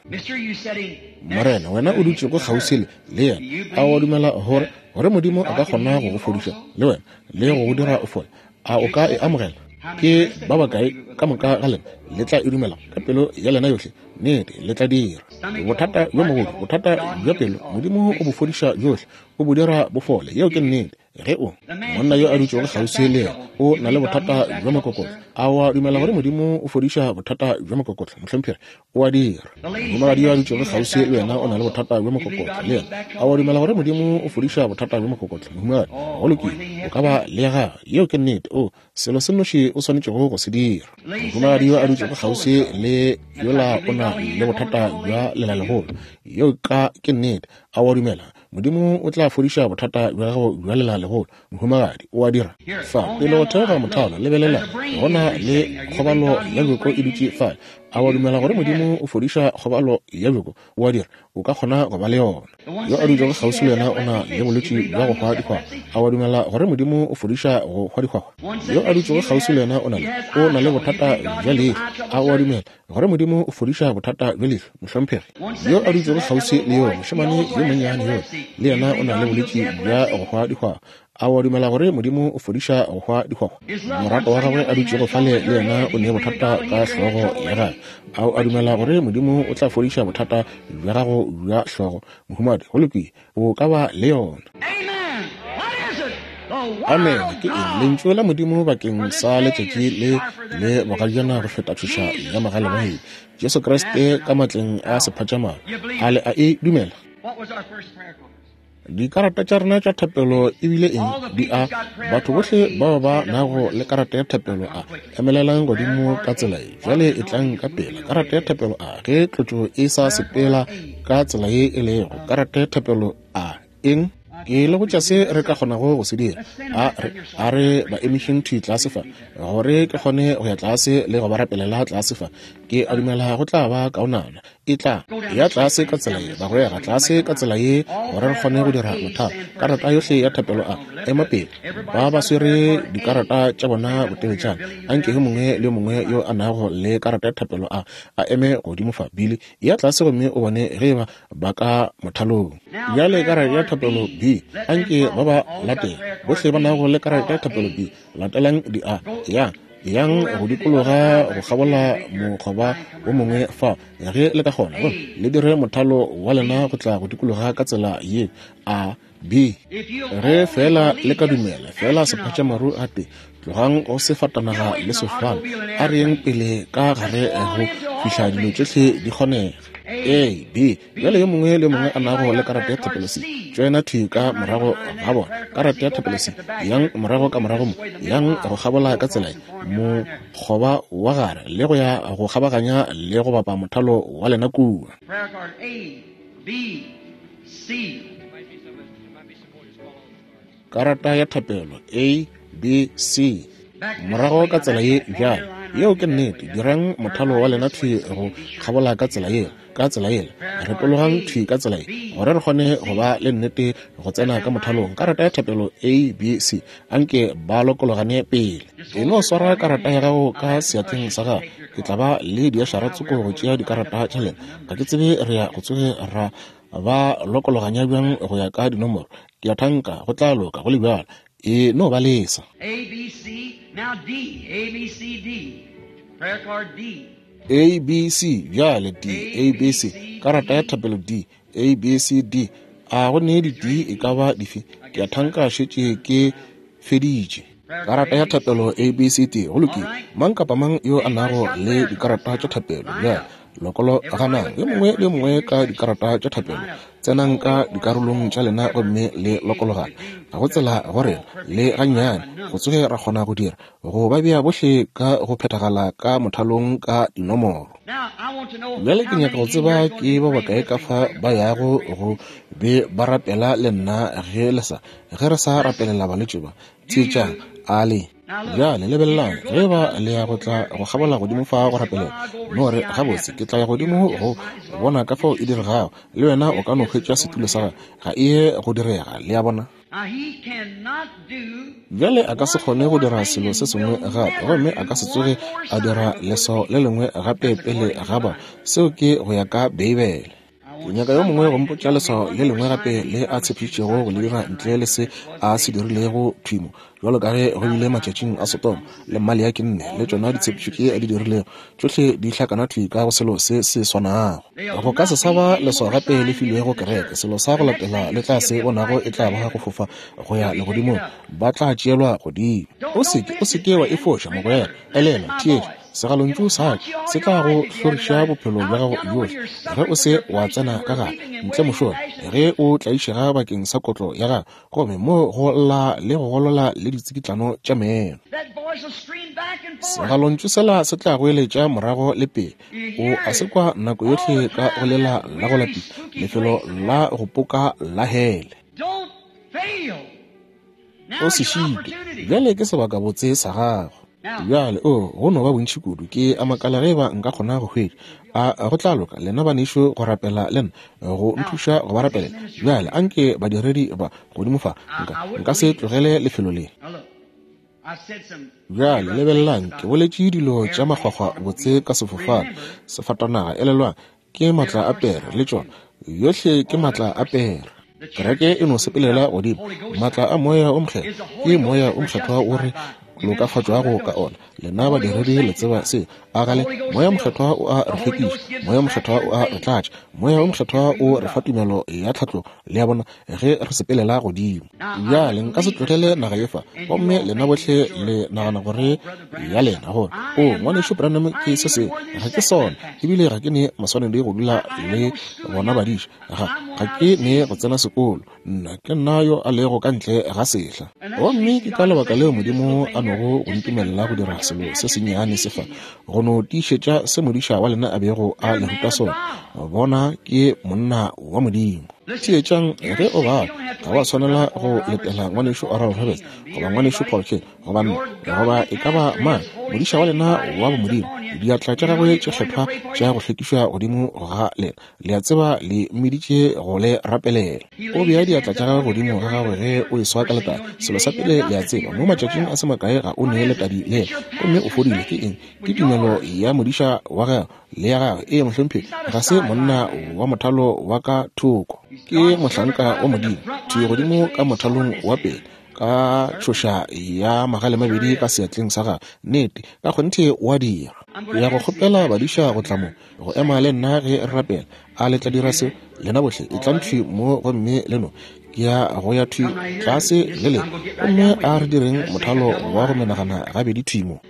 Morena, wena o dutšego kgauswi le yena, a wa dumela gore gore Modimo a ka kgona go go fodiša le wena le go go dira o fole? A o ka e amogela? Ke ba bakae ka moka ga lena le tla e dumela ka pelo ya lena yohle? Nnete, le tla dira. Bothata bjo mogolo, bothata bja pelo, Modimo o bo fodiša bjohle, o bo dira bo fole. Yeo ke nnete. Ge o, monna yo a dutšego kgauswi le yena, o na le bothata bja mokokotlo, a wa dumela gore Modimo o fodiša bothata bja mokokotlo, mohlomphegi? O a dira. Mohumagadi yo a dutšego kgauswi le wena o na le bothata bja mokokotlo, le yena. A wa dumela gore Modimo o fodiša bothata bja mokokotlo, mohumagadi? Go lokile, o ka ba le ya gagwe. Yeo ke nnete. O, selo se nnoši o swanetšego go se dira. Mohumagadi yo a dutšego kgauswi le yola o na le bothata bja lelalegolo. Yeo ka ke nnete. A wa dumela Modimo o tla fodiša bothata bja gago bja lelalegolo, mohumagadi? O a dira? Fa, pele go theoga mothalo, lebelela, go na le kgobalo ya bjoko e dutše fale. A wa dumela gore Modimo o fodiša kgobalo ya bjoko? O a dira. O ka kgona go ba le yona. Yo a dutšego kgauswi le yena o na le bolwetši bja go hwa dihwahwa. A wa dumela gore Modimo o fodiša go hwa dihwahwa? Yo a dutšego kgauswi le yena o na le, o na le bothata bja leihlo. A o a dumela gore Modimo o fodiša bothata bja leihlo, mohlomphegi? Yo a dutšego kgauswi le yo, mošemane yo monnyane yola, le yena o na le bolwetši bja go hwa dihwahwa. A o a dumela gore Modimo o fodiša go hwa dihwahwa? Morato wa gagwe a dutšego fale le yena o ne bothata ka hlogo ya gagwe. A o a dumela gore Modimo o tla fodiša bothata bja gago bja hlogo? Mohumadi, go lokile, o ka ba le yona. Amen. Ke eng? Lentšu la Modimo bakeng sa letšatši le le bogajana go feta tšhoša ya mogale. Jesu Kriste ka matleng a sephatšamaru. A le a e dumela? Dikarata tša rena tša thapelo e bile eng? Di a batho bohle bao ba nago le karata ya thapelo a emelelang godimo ka tsela ye. Bjale e tlang ka pela. Karata ya thapelo a ge tlotšo e sa sepela ka tsela ye e lego. Karata ya thapelo a eng? Ke le botša se re ka kgonago go se dira. A re, a re ba emišeng thwi tlase fa, gore ke kgone go ya tlase le go ba rapelela tlase fa. Ke a dumela go tla ba kaonana. E tla ya tlase ka tsela ye, bagwera, tlase ka tsela ye, gore re kgone go dira mothalo. Karata yohle ya thapelo a ema pele. Ba ba swere dikarata tša bona boteletšana. Anke yo mongwe le yo mongwe yo a nago le karata ya thapelo a a eme godimo fa. Billy, ya tlase gomme o bone ge eba ba ka mothalong. Bjale karata ya thapelo B, anke ba ba latele. Bohle ba nago le karata ya thapelo B, latelang di A. Yang, yang go dikologa go kgabola mokgoba wo mongwe fa ge le ka kgona, gomme le dire mothalo wa lena go tla go dikologa ka tsela ye A B. Ge feela le ka dumela feela sephatšamaru gape, tlogang go sefatanaga le sefofane, a re yeng pele ka gare go fihla dilo tšohle di kgonega. A B. Bjale yo mongwe le yo mongwe a nago le karata ya thapelo C, tšoena thwi ka morago ga bona. Karata ya thapelo C, yang morago ka morago mo, yang go kgabola ka tsela ye, mokgoba wa gare, le go ya go kgabaganya le go bapa mothalo wa lena kua. Karata ya thapelo A, B, C. Morago ka tsela ye bjale. Yeo ke nnete. Dirang mothalo wa lena thwi go kgabola ka tsela yela, ka tsela yela. Retologang thwi ka tsela ye, gore re kgone go ba le nnete go tsena ka mothalong. Karata ya thapelo A, B, C. Anke ba lokologane pele. E no swara karata ya gago ka seatleng sa gago. Ke tla ba le diašara tsoko go tšea dikarata tša lena. Ga ke tsebe re ya go tsoge ra ba lokologanya bjang go ya ka dinomoro. Ke a thanka go tla loka go le bjalo. E no ba lesa. A, B, C, now D, A, B, C, D. Prayer card D. A, B, C, bjale D, A, B, C. Karata ya thapelo D, A, B, C, D. A go ne di D e ka ba dife? Ke a thanka šetše ke feditše. Karata ya thapelo A, B, C, D. Go lokile. Mang kapa mang yo a nago le dikarata tša thapelo bjale, lokologanang yo mongwe le yo mongwe ka dikarata tša thapelo. Tsenang ka dikarolong tša lena gomme le lokologane. Ga go tsela go rena le gannyane go tsoge ra kgona go dira go ba bea bohle ka go phethagala ka mothalong ka dinomoro. Bjale ke nyaka go tseba ke ba bakae ka fa ba yago go be ba rapela le nna ge le sa, ge re sa rapelela balwetši ba. Theetšang, a le. Bjale lebelelang, ge ba le ya go tla go kgabola godimo fa go rapelela, no re, gabotse, ke tla ya godimo go bona ka fao e diregago. Le wena o ka no hwetša setulo sa gago. Ga e ye go direga, le a bona. Bjale a ka se kgone go dira selo se sengwe gape, gomme a ka se tsoge a dira leswao le lengwe gape pele ga ba. Seo ke go ya ka Beibele. Ke nyaka yo mongwe go mpotša leswao le lengwe gape le a tshepišitšego go le dira ntle le se a se dirilego thwi mo, bjalo ka ge go bile matšatšing a Sodoma le Maleaki nne, le tšona ditshepišo tše a di dirilego, tšohle di hlakana thwi ka go selo se se swanago. Go ka se sa ba leswao gape le filwego kereke. Selo sa go latela le tla se bonago e tla ba go fofa go ya legodimong, ba tla tšeelwa godimo. O se ke, o se ke wa e foša, mogwera. Elelwa, theetša. Segalontšu sa ka se tla go hloriša bophelo bja gago bjohle ge o se wa tsena ka gare ntle mošola, ge o tlaišega bakeng sa kotlo ya gago, gomme mo go lla le go golola le ditsikitlano tša meno. Segalontšu sela se tla goeletša morago le pele. O a se kwa nako yohle ka go lela la go lapisa, lefelo la go poka la hele. O se šitwe. Bjale ke sebakabotse sa gago. Bjale, oo, go no ba bontši kudu. Ke a makala ge eba nka kgona go hwetša. A go tla loka, lena banešu, go rapela le nna, go nthuša go ba rapelela? Bjale, anke badiredi ba godimo fa, nka, nka se tlogele lefelo le. Bjale, lebelelang, ke boletše dilo tša makgwakgwa botse ka sefofane, sefatanaga, elelwang, ke maatla a pere, le tšona. Yohle ke maatla a pere. Kereke e no sepelela godimo. Maatla a Moya o Mokgethwa, ke Moya o Mokgethwa o re lokafatšwago ka ona. Lena badiredi le tseba se. A gale, Moya Mokgethwa o a re hlwekiša. Moya Mokgethwa o a re tlatša. Moya o Mokgethwa o re fa tumelo ya tlhatlogo, le a bona, ge re sepelela godimo. Bjale, nka se tlogele naga ye fa, gomme lena bohle le nagana gore ya lena, gore, O, Ngwanešu Branham ke se sengwe. Ga ke sona. Ebile ga ke ne maswanedi go dula le bona badiša. Ga, ga ke ne go tsena sekolo. Nna, ke nna yo a lego ka ntle ga sehla. Gomme ke ka lebaka leo Modimo a nogo go ntumelela go dira selo se sennyane se fa, go no tiišetša se modiša wa lena a bego a le ruta sona. Bona, ke monna wa Modimo. Theetšang, ge o bala, ga wa swanela go letela Ngwanešu Oral Roberts, goba Ngwanešu Paul Cain, goba nna, goba e ka ba mang, modiša wa lena wa bomodimo, diatla tša gagwe tše kgethwa tša go hlwekišwa godimo ga lena. Le a tseba, le mmiditše go le rapelela. O bea diatla tša gagwe godimo ga gago ge o eswa ka letadi. Selo sa pele le a tseba, mo matšatšing a se makae ga o ne letadi lela, gomme o fodile. Ke eng? Ke tumelo ya modiša wa gago le ya gagwe. Ee, mohlomphegi, ga se monna wa mothalo wa ka thoko. Ke mohlanka wa Modimo, thwi godimo ka mothalong wa pele, ka tšhoša ya magalemabedi ka seatleng sa gagwe. Nnete, ka kgonthe o a dira. Ke ya go kgopela badiša go tla mo, go ema le nna ge re rapela. A le tla dira seo? Lena bohle etlang thwi mo gomme le no. Ke ya go ya thwi tlase le lena, gomme a re direng mothalo wa go menagana gabedi thwi mo.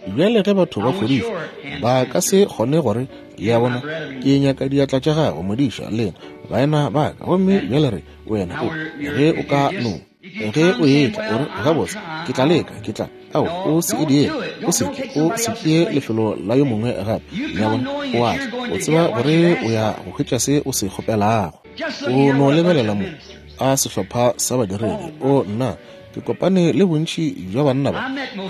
Bjale ge batho ba fodišwa, ba ka se kgone gore, Le a bona, ke nyaka diatla tša gago, modiša, lena baena ba ka. Gomme bjale re, wena o, ge o ka no, ge o etla, o re, Gabotse, ke tla leka, ke tla. Ao, o se e diege, o se ke, o se tšee lefelo la yo mongwe gape. Le a bona, o a tla, o tseba gore o ya go hwetša se o se kgopelago. O no lebelela mo, a sehlopha sa badiredi. O, nna, ke kopane le bontši bja banna ba,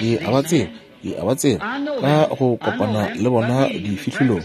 ke a ba tseba, ke a ba tseba ka go kopana le bona difihlolong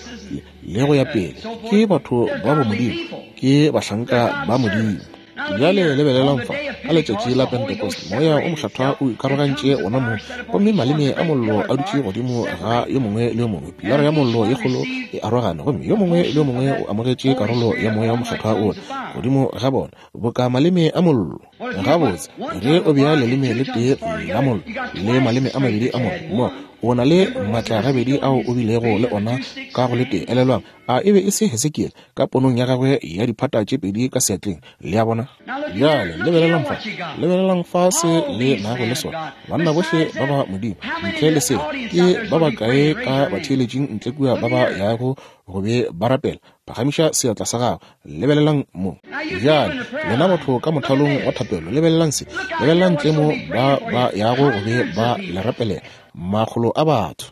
le go ya pele. Ke batho ba bomodimo, ke bahlanka ba Modimo. Bjale lebelelang fa, ka letšatši la Pentecost, Moya o Mokgethwa o ikarogantše wona mong, gomme maleme a mollo a dutše godimo ga yo mongwe le yo mongwe. Pilara ya mollo ye kgolo e arogane, gomme yo mongwe le yo mongwe o amogetše karolo ya Moya o Mokgethwa wola godimo ga bona, boka maleme a mollo. Gabotse, ge o bea leleme le tee la mollo le maleme a mabedi a mollo mo, o na le maatla gabedi ao o bilego le ona ka go le tee. Elelwang, a e be e se Hesekiele ka ponong ya gagwe ya diphata tše pedi ka seatleng? Le a bona? Bjale lebelelang fa, lebelelang fa se le nago le sona, banna bohle ba ba Modimo. Ntle le seo, ke ba bakae ka batheeletšing ntle kua ba ba yago go be ba rapela? Phagamiša seatla sa gago. Lebelelang mo. Bjale, lena batho ka mothalong wa thapelo, lebelelang se. Lebelelang ntle mo ba ba yago go be ba le rapelela, makgolo a batho.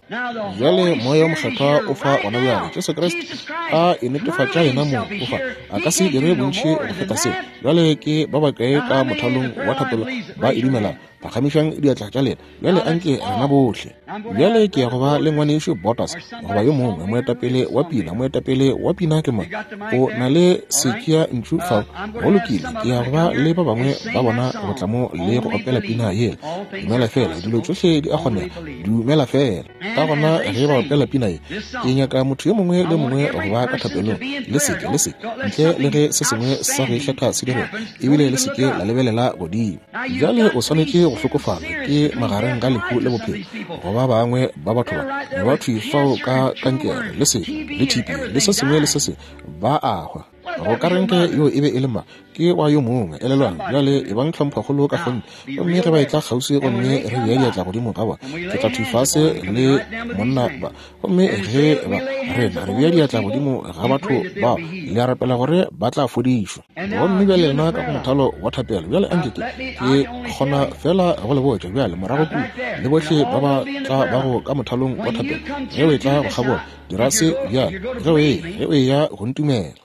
Bjale Moya wo Mokgethwa o fa gona bjale. Jesu Kriste a e netefatša yena mong o fa. A ka se dire bontši go feta seo. Bjale ke ba bakae ka mothalong wa thapelo ba e dumelago? Phagamišang diatla tša lena. Bjale anke rena bohle. Bjale ke ya go ba le Ngwanešu Bottas goba yo mongwe, moetapele wa pina. Moetapele wa pina ke mang? O na le setšea ntšu fao. Go lokile, ke ya go ba le ba bangwe ba bona go tla mo le go opela pina yela. Dumela feela, dilo tšohle di a kgonega. Dumela feela. Ka gona ge ba opela pina ye, ke nyaka motho yo mongwe le yo mongwe go ba ka thapelong. Le seke, le seke, ntle le ge se sengwe sa go ikgetha se direga, ebile le seke la lebelela godimo. Bjale o swanetše go hlokofala, ke magareng ga lehu le bophelo, go ba bangwe ba batho ba, ba thwi fao ka kankere, le sefo, le TB, le se sengwe le se sengwe, ba a hwa. Go ka reng ge yo e be e le ma? Ke wa yo mongwe. Elelwang, bjale ebang tlhomphokgolo ka kgonthe. Gomme ge ba etla kgauswi gomme re bea diatla godimo ga bona, ke tla thwi fase le monna ba. Gomme ge ba, rena, re bea diatla godimo ga batho bao, le a rapela gore ba tla fodišwa. Gomme bjale lena ka go mothalo wa thapelo, bjale anke ke, ke kgona feela go le botša bjale, morago kua, le bohle ba ba tla bago ka mothalong wa thapelo, ge o etla go kgabola, dira se bjale, ge o eya, ge o eya go ntumela.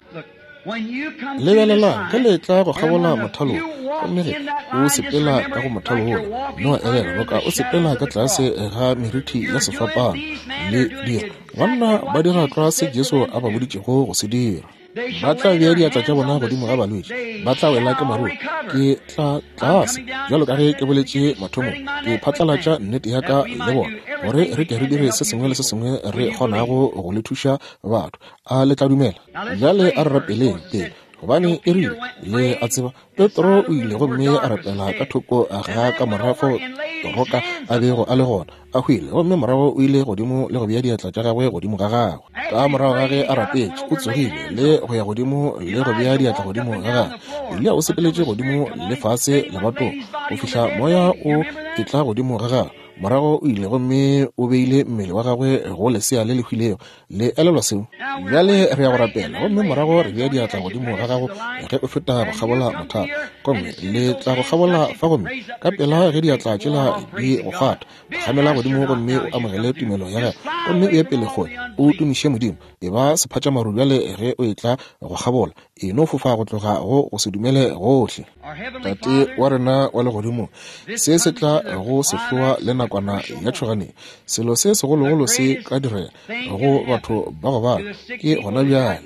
Lebelelang, ge le tla go kgabola mothalo wo, gomme ge o sepela ka go mothalo wola, no elelwa boka o sepela ka tlase ga merithi ya sefapano. Le dira, banna ba dira tlwa se Jesu a ba boditšego go se dira. Ba tla bea diatla tša bona godimo ga balwetši, ba tla wela ke maruru. Ke tla tlase, bjalo ka ge ke boletše mathomong, ke phatlalatša nnete ya ka le bona, gore re ke re dire se sengwe le se sengwe re kgonago go le thuša batho. A le tla dumela? Bjale a re rapeleng pele, gobane e rile, le a tseba, Petro o ile gomme a rapela ka thoko ga ka morago Toroka a bego a le gona, a hwile, gomme morago o ile godimo le go bea diatla tša gagwe godimo ga gagwe. Ka morago ga ge a rapetše, o tsogile le go ya godimo le go bea diatla godimo ga gagwe. Eliya o sepeletše godimo le fase lebatong go fihla moya o etla godimo ga gagwe. Morago o ile gomme o beile mmele wa gagwe go lesea le le hwilego. Le elelwa seo? Bjale re ya go rapela, gomme morago re bea diatla godimo ga gago ge o feta go kgabola mothalo. Gomme le tla go kgabola fa, gomme ka pela ge diatla tšela di go kgwatha, phagamela godimo gomme o amogele tumelo ya gago, gomme o ye pele kgole, o tumiše Modimo. E ba sephatšamaru bjale ge o etla go kgabola. E no fofa go tloga go go se dumele gohle. Tate wa rena wa legodimo, se se tla go sehloa le nakwana ya tšhoganeng. Selo se segologolo se ka direga go batho ba go bala ke gona bjale,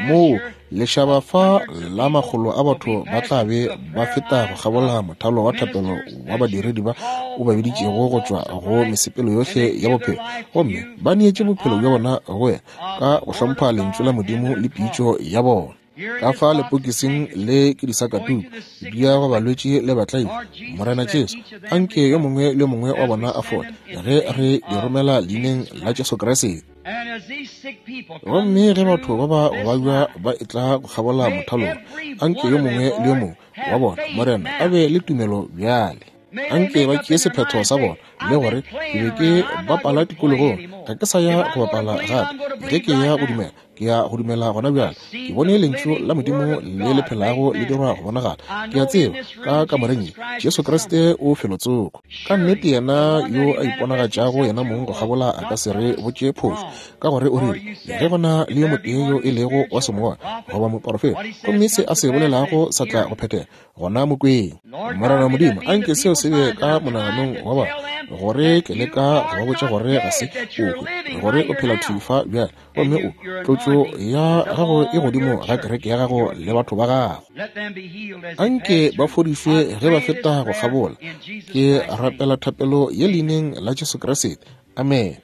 moo lešaba fa la makgolo a batho ba tla be ba feta go kgabola mothalo wa thapelo wa badiredi ba o ba biditšego go tšwa go mesepelo yohle ya bophelo, gomme ba neetše bophelo bja bona go wena ka go hlompha lentšu la Modimo le pitšo ya bona. Ka fa lepokising le ke disakatuku di ya go balwetši le batlaile. Morena Jesu, anke yo mongwe le yo mongwe wa bona a fole ge re di romela leineng la Jesu Kriste. Gomme ge batho ba ba go babja ba etla go kgabola mothalong, anke yo mongwe le yo mongwe wa bona, Morena, a be le tumelo bjale. Anke ba tšee sephetho sa bona le gore ke be ke bapala tikologong, ga ke sa ya go bapala gape. Ge ke ya go dumela, ke ya go dumela gona bjale. Ke bone Lentšu la Modimo le le phelago le dirwa go bonagala. Ke a tseba ka kamoreng ye Jesu Kriste o felotsoko. Ka nnete yena yo a iponagatšago yena mong go kgabola a ka se re botše phošo, ka gore o rile, Ge go na le yo motee yo e lego wa semoya goba moporofeta, gomme se a se bolelago sa tla go phethega, gona mo kweng. Morena Modimo, a nke seo se be ka monaganong wa bona, gore ke leka go ba botša gore ga se o hwe, gore o phela thwi fa bjale, gomme o, tlotšo ya gago e godimo ga kereke ya gago le batho ba gago. A nke ba fodišwe ge ba feta go kgabola. Ke rapela thapelo ye leineng la Jesu Kriste. Amene.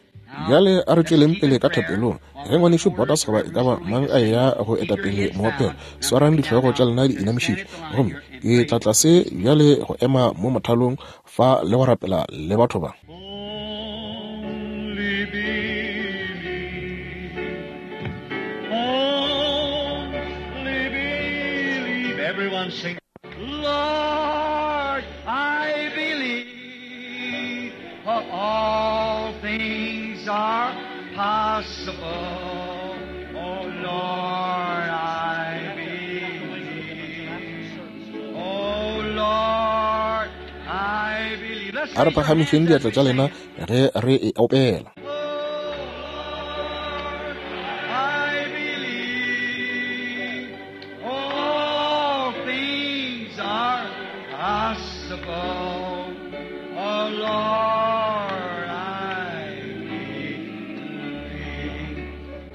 Bjale a re tšweleng pele ka thapelong. Ge ngwanešu Borders goba e ka ba mang a eya go eta pele moopelo, swarang dihlogo tša lena di inamišitšwe. Gomme ke tla tlase bjale go ema mo mothalong fa le go rapela le batho ba. Only believe. Only believe. Everyone sing. Lord, I believe. For all things are possible. Oh Lord, I believe. Oh Lord, I believe. Let's A re raise our hands phagamišeng as diatla we tša sing lena it. ge re e opela. Oh Lord, I believe. All things are possible. Oh Lord, I believe.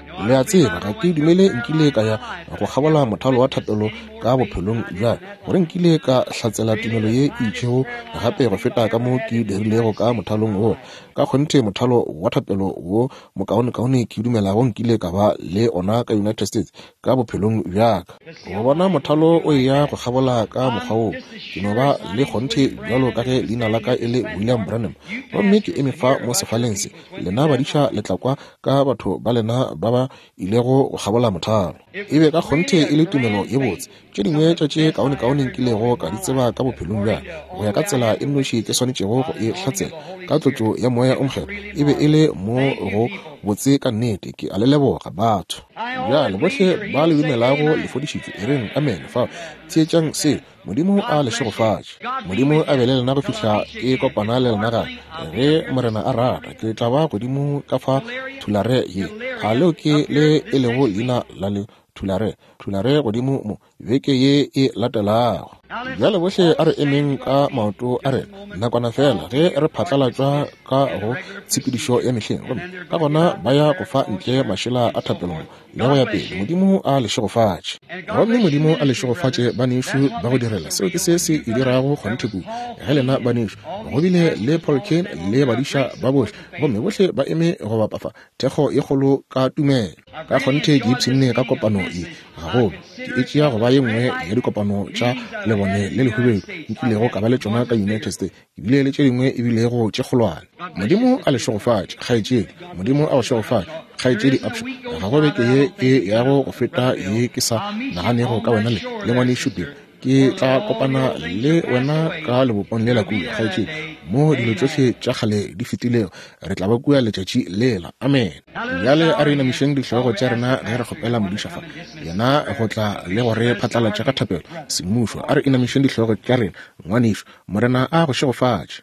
You know, I Le a don't believe tseba, I ga ever ke went through a dumele prayer nkile line in ka my ya life go that I kgabola ever mothalo wa witnessed thapelo any more ka faith than bophelong I did bja in that gore line. nkile ka hlatsela Really, tumelo the ye e finest itšego prayer line I gape go believe feta I ka ever mo had ke in the dirilego United ka States in mothalong my wo. life. Ka kgonthe mothalo wa thapelo wo mokaonekaone ke dumelago nkile ka ba le ona ka United States ka bophelong bja ka. To see Go a bona line go mothalo through o like eya that. go kgabola ka mokgwa I'm woo, just as ke no sure ba as my le name's kgonthe William bjalo Branham ka and ge I'm leina la standing ka at e this le William platform. Branham. You Gomme ke pastors eme and fa here mo about your sefaleng se, peoples went through lena that badiša line. le tla kwa ka batho ba lena ba ba ilego go kgabola mothalo. It E be was ka kgonthe really e a le tumelo grand ye botse. faith, Tše some dingwe of tša the tše best I kaonekaone ever nkilego known in ka di my tseba life, ka bophelong bja according to go ya ka only I tsela had e the nnoši ke witness swanetšego by go the e anointing of hlatsela the Holy ka tlotšo Spirit. ya moya It o was mokgethwa, really e be e le marvelous. mo Thank you, go people. botse ka nnete. Ke a le leboga, batho. I all Bjale that bohle believes are ba le healed say dumelago le amen. fodišitšwe, e reng amen. Fao, theetšang se. Modimo God a le bless you. šegofatše. God be Modimo with a be you le lena go till I fihla meet you ke again. kopana If le the lena Lord gape. willing, I'll be Ge up here Morena this a rata, ke tla ba godimo ka fa Tulare, Thulare ye. Tulare A leo ke up le here e this lego next week. leina la leo? Tulare, Tulare godimo mo, beke ye e latelago. Bjale bohle a re emeng ka maoto a rena nakwana feela ge re phatlalatšwa ka go tshepedišo ya mehleng, gomme ka gona ba ya go fa ntle mašela a thapelo le go ya pele. Modimo a le šegofatše. Gomme Modimo a le šegofatše, banešu ba go direla. Seo ke se se e dirago kgonthe kudu. Ge lena banešu, go bile le Paul Cain le badiša ba bohle, gomme bohle ba eme go bapa fa, thekgo ye kgolo ka tumelo. Ka kgonthe ke ipshinne ka kopano ye gagolo. Ke e tšea go ba ye nngwe ya dikopano tša lebone le lehubedu nkilego ka ba le tšona ka United States. Ke bile le tše dingwe e bilego tše kgolwane. Modimo a le šegofatše, kgaetšedi. Modimo a go šegofatše, kgaetšedi Upshaw. Ga go beke ye e yago go feta ye ke sa naganego ka wena le, le ngwanešu Bill. Ke tla kopana le wena ka lebopong lela kua, kgaetšedi, mo dilo tšohle tša kgale di fetilego. Re tla ba kua letšatši lela. Amen. Bjale a re inamišeng dihlogo tša rena ge re kgopela modiša fa, yena go tla le go re phatlalatša ka thapelo semmušo. A re inamišeng dihlogo tša rena, ngwanešu. Morena a go šegofatše.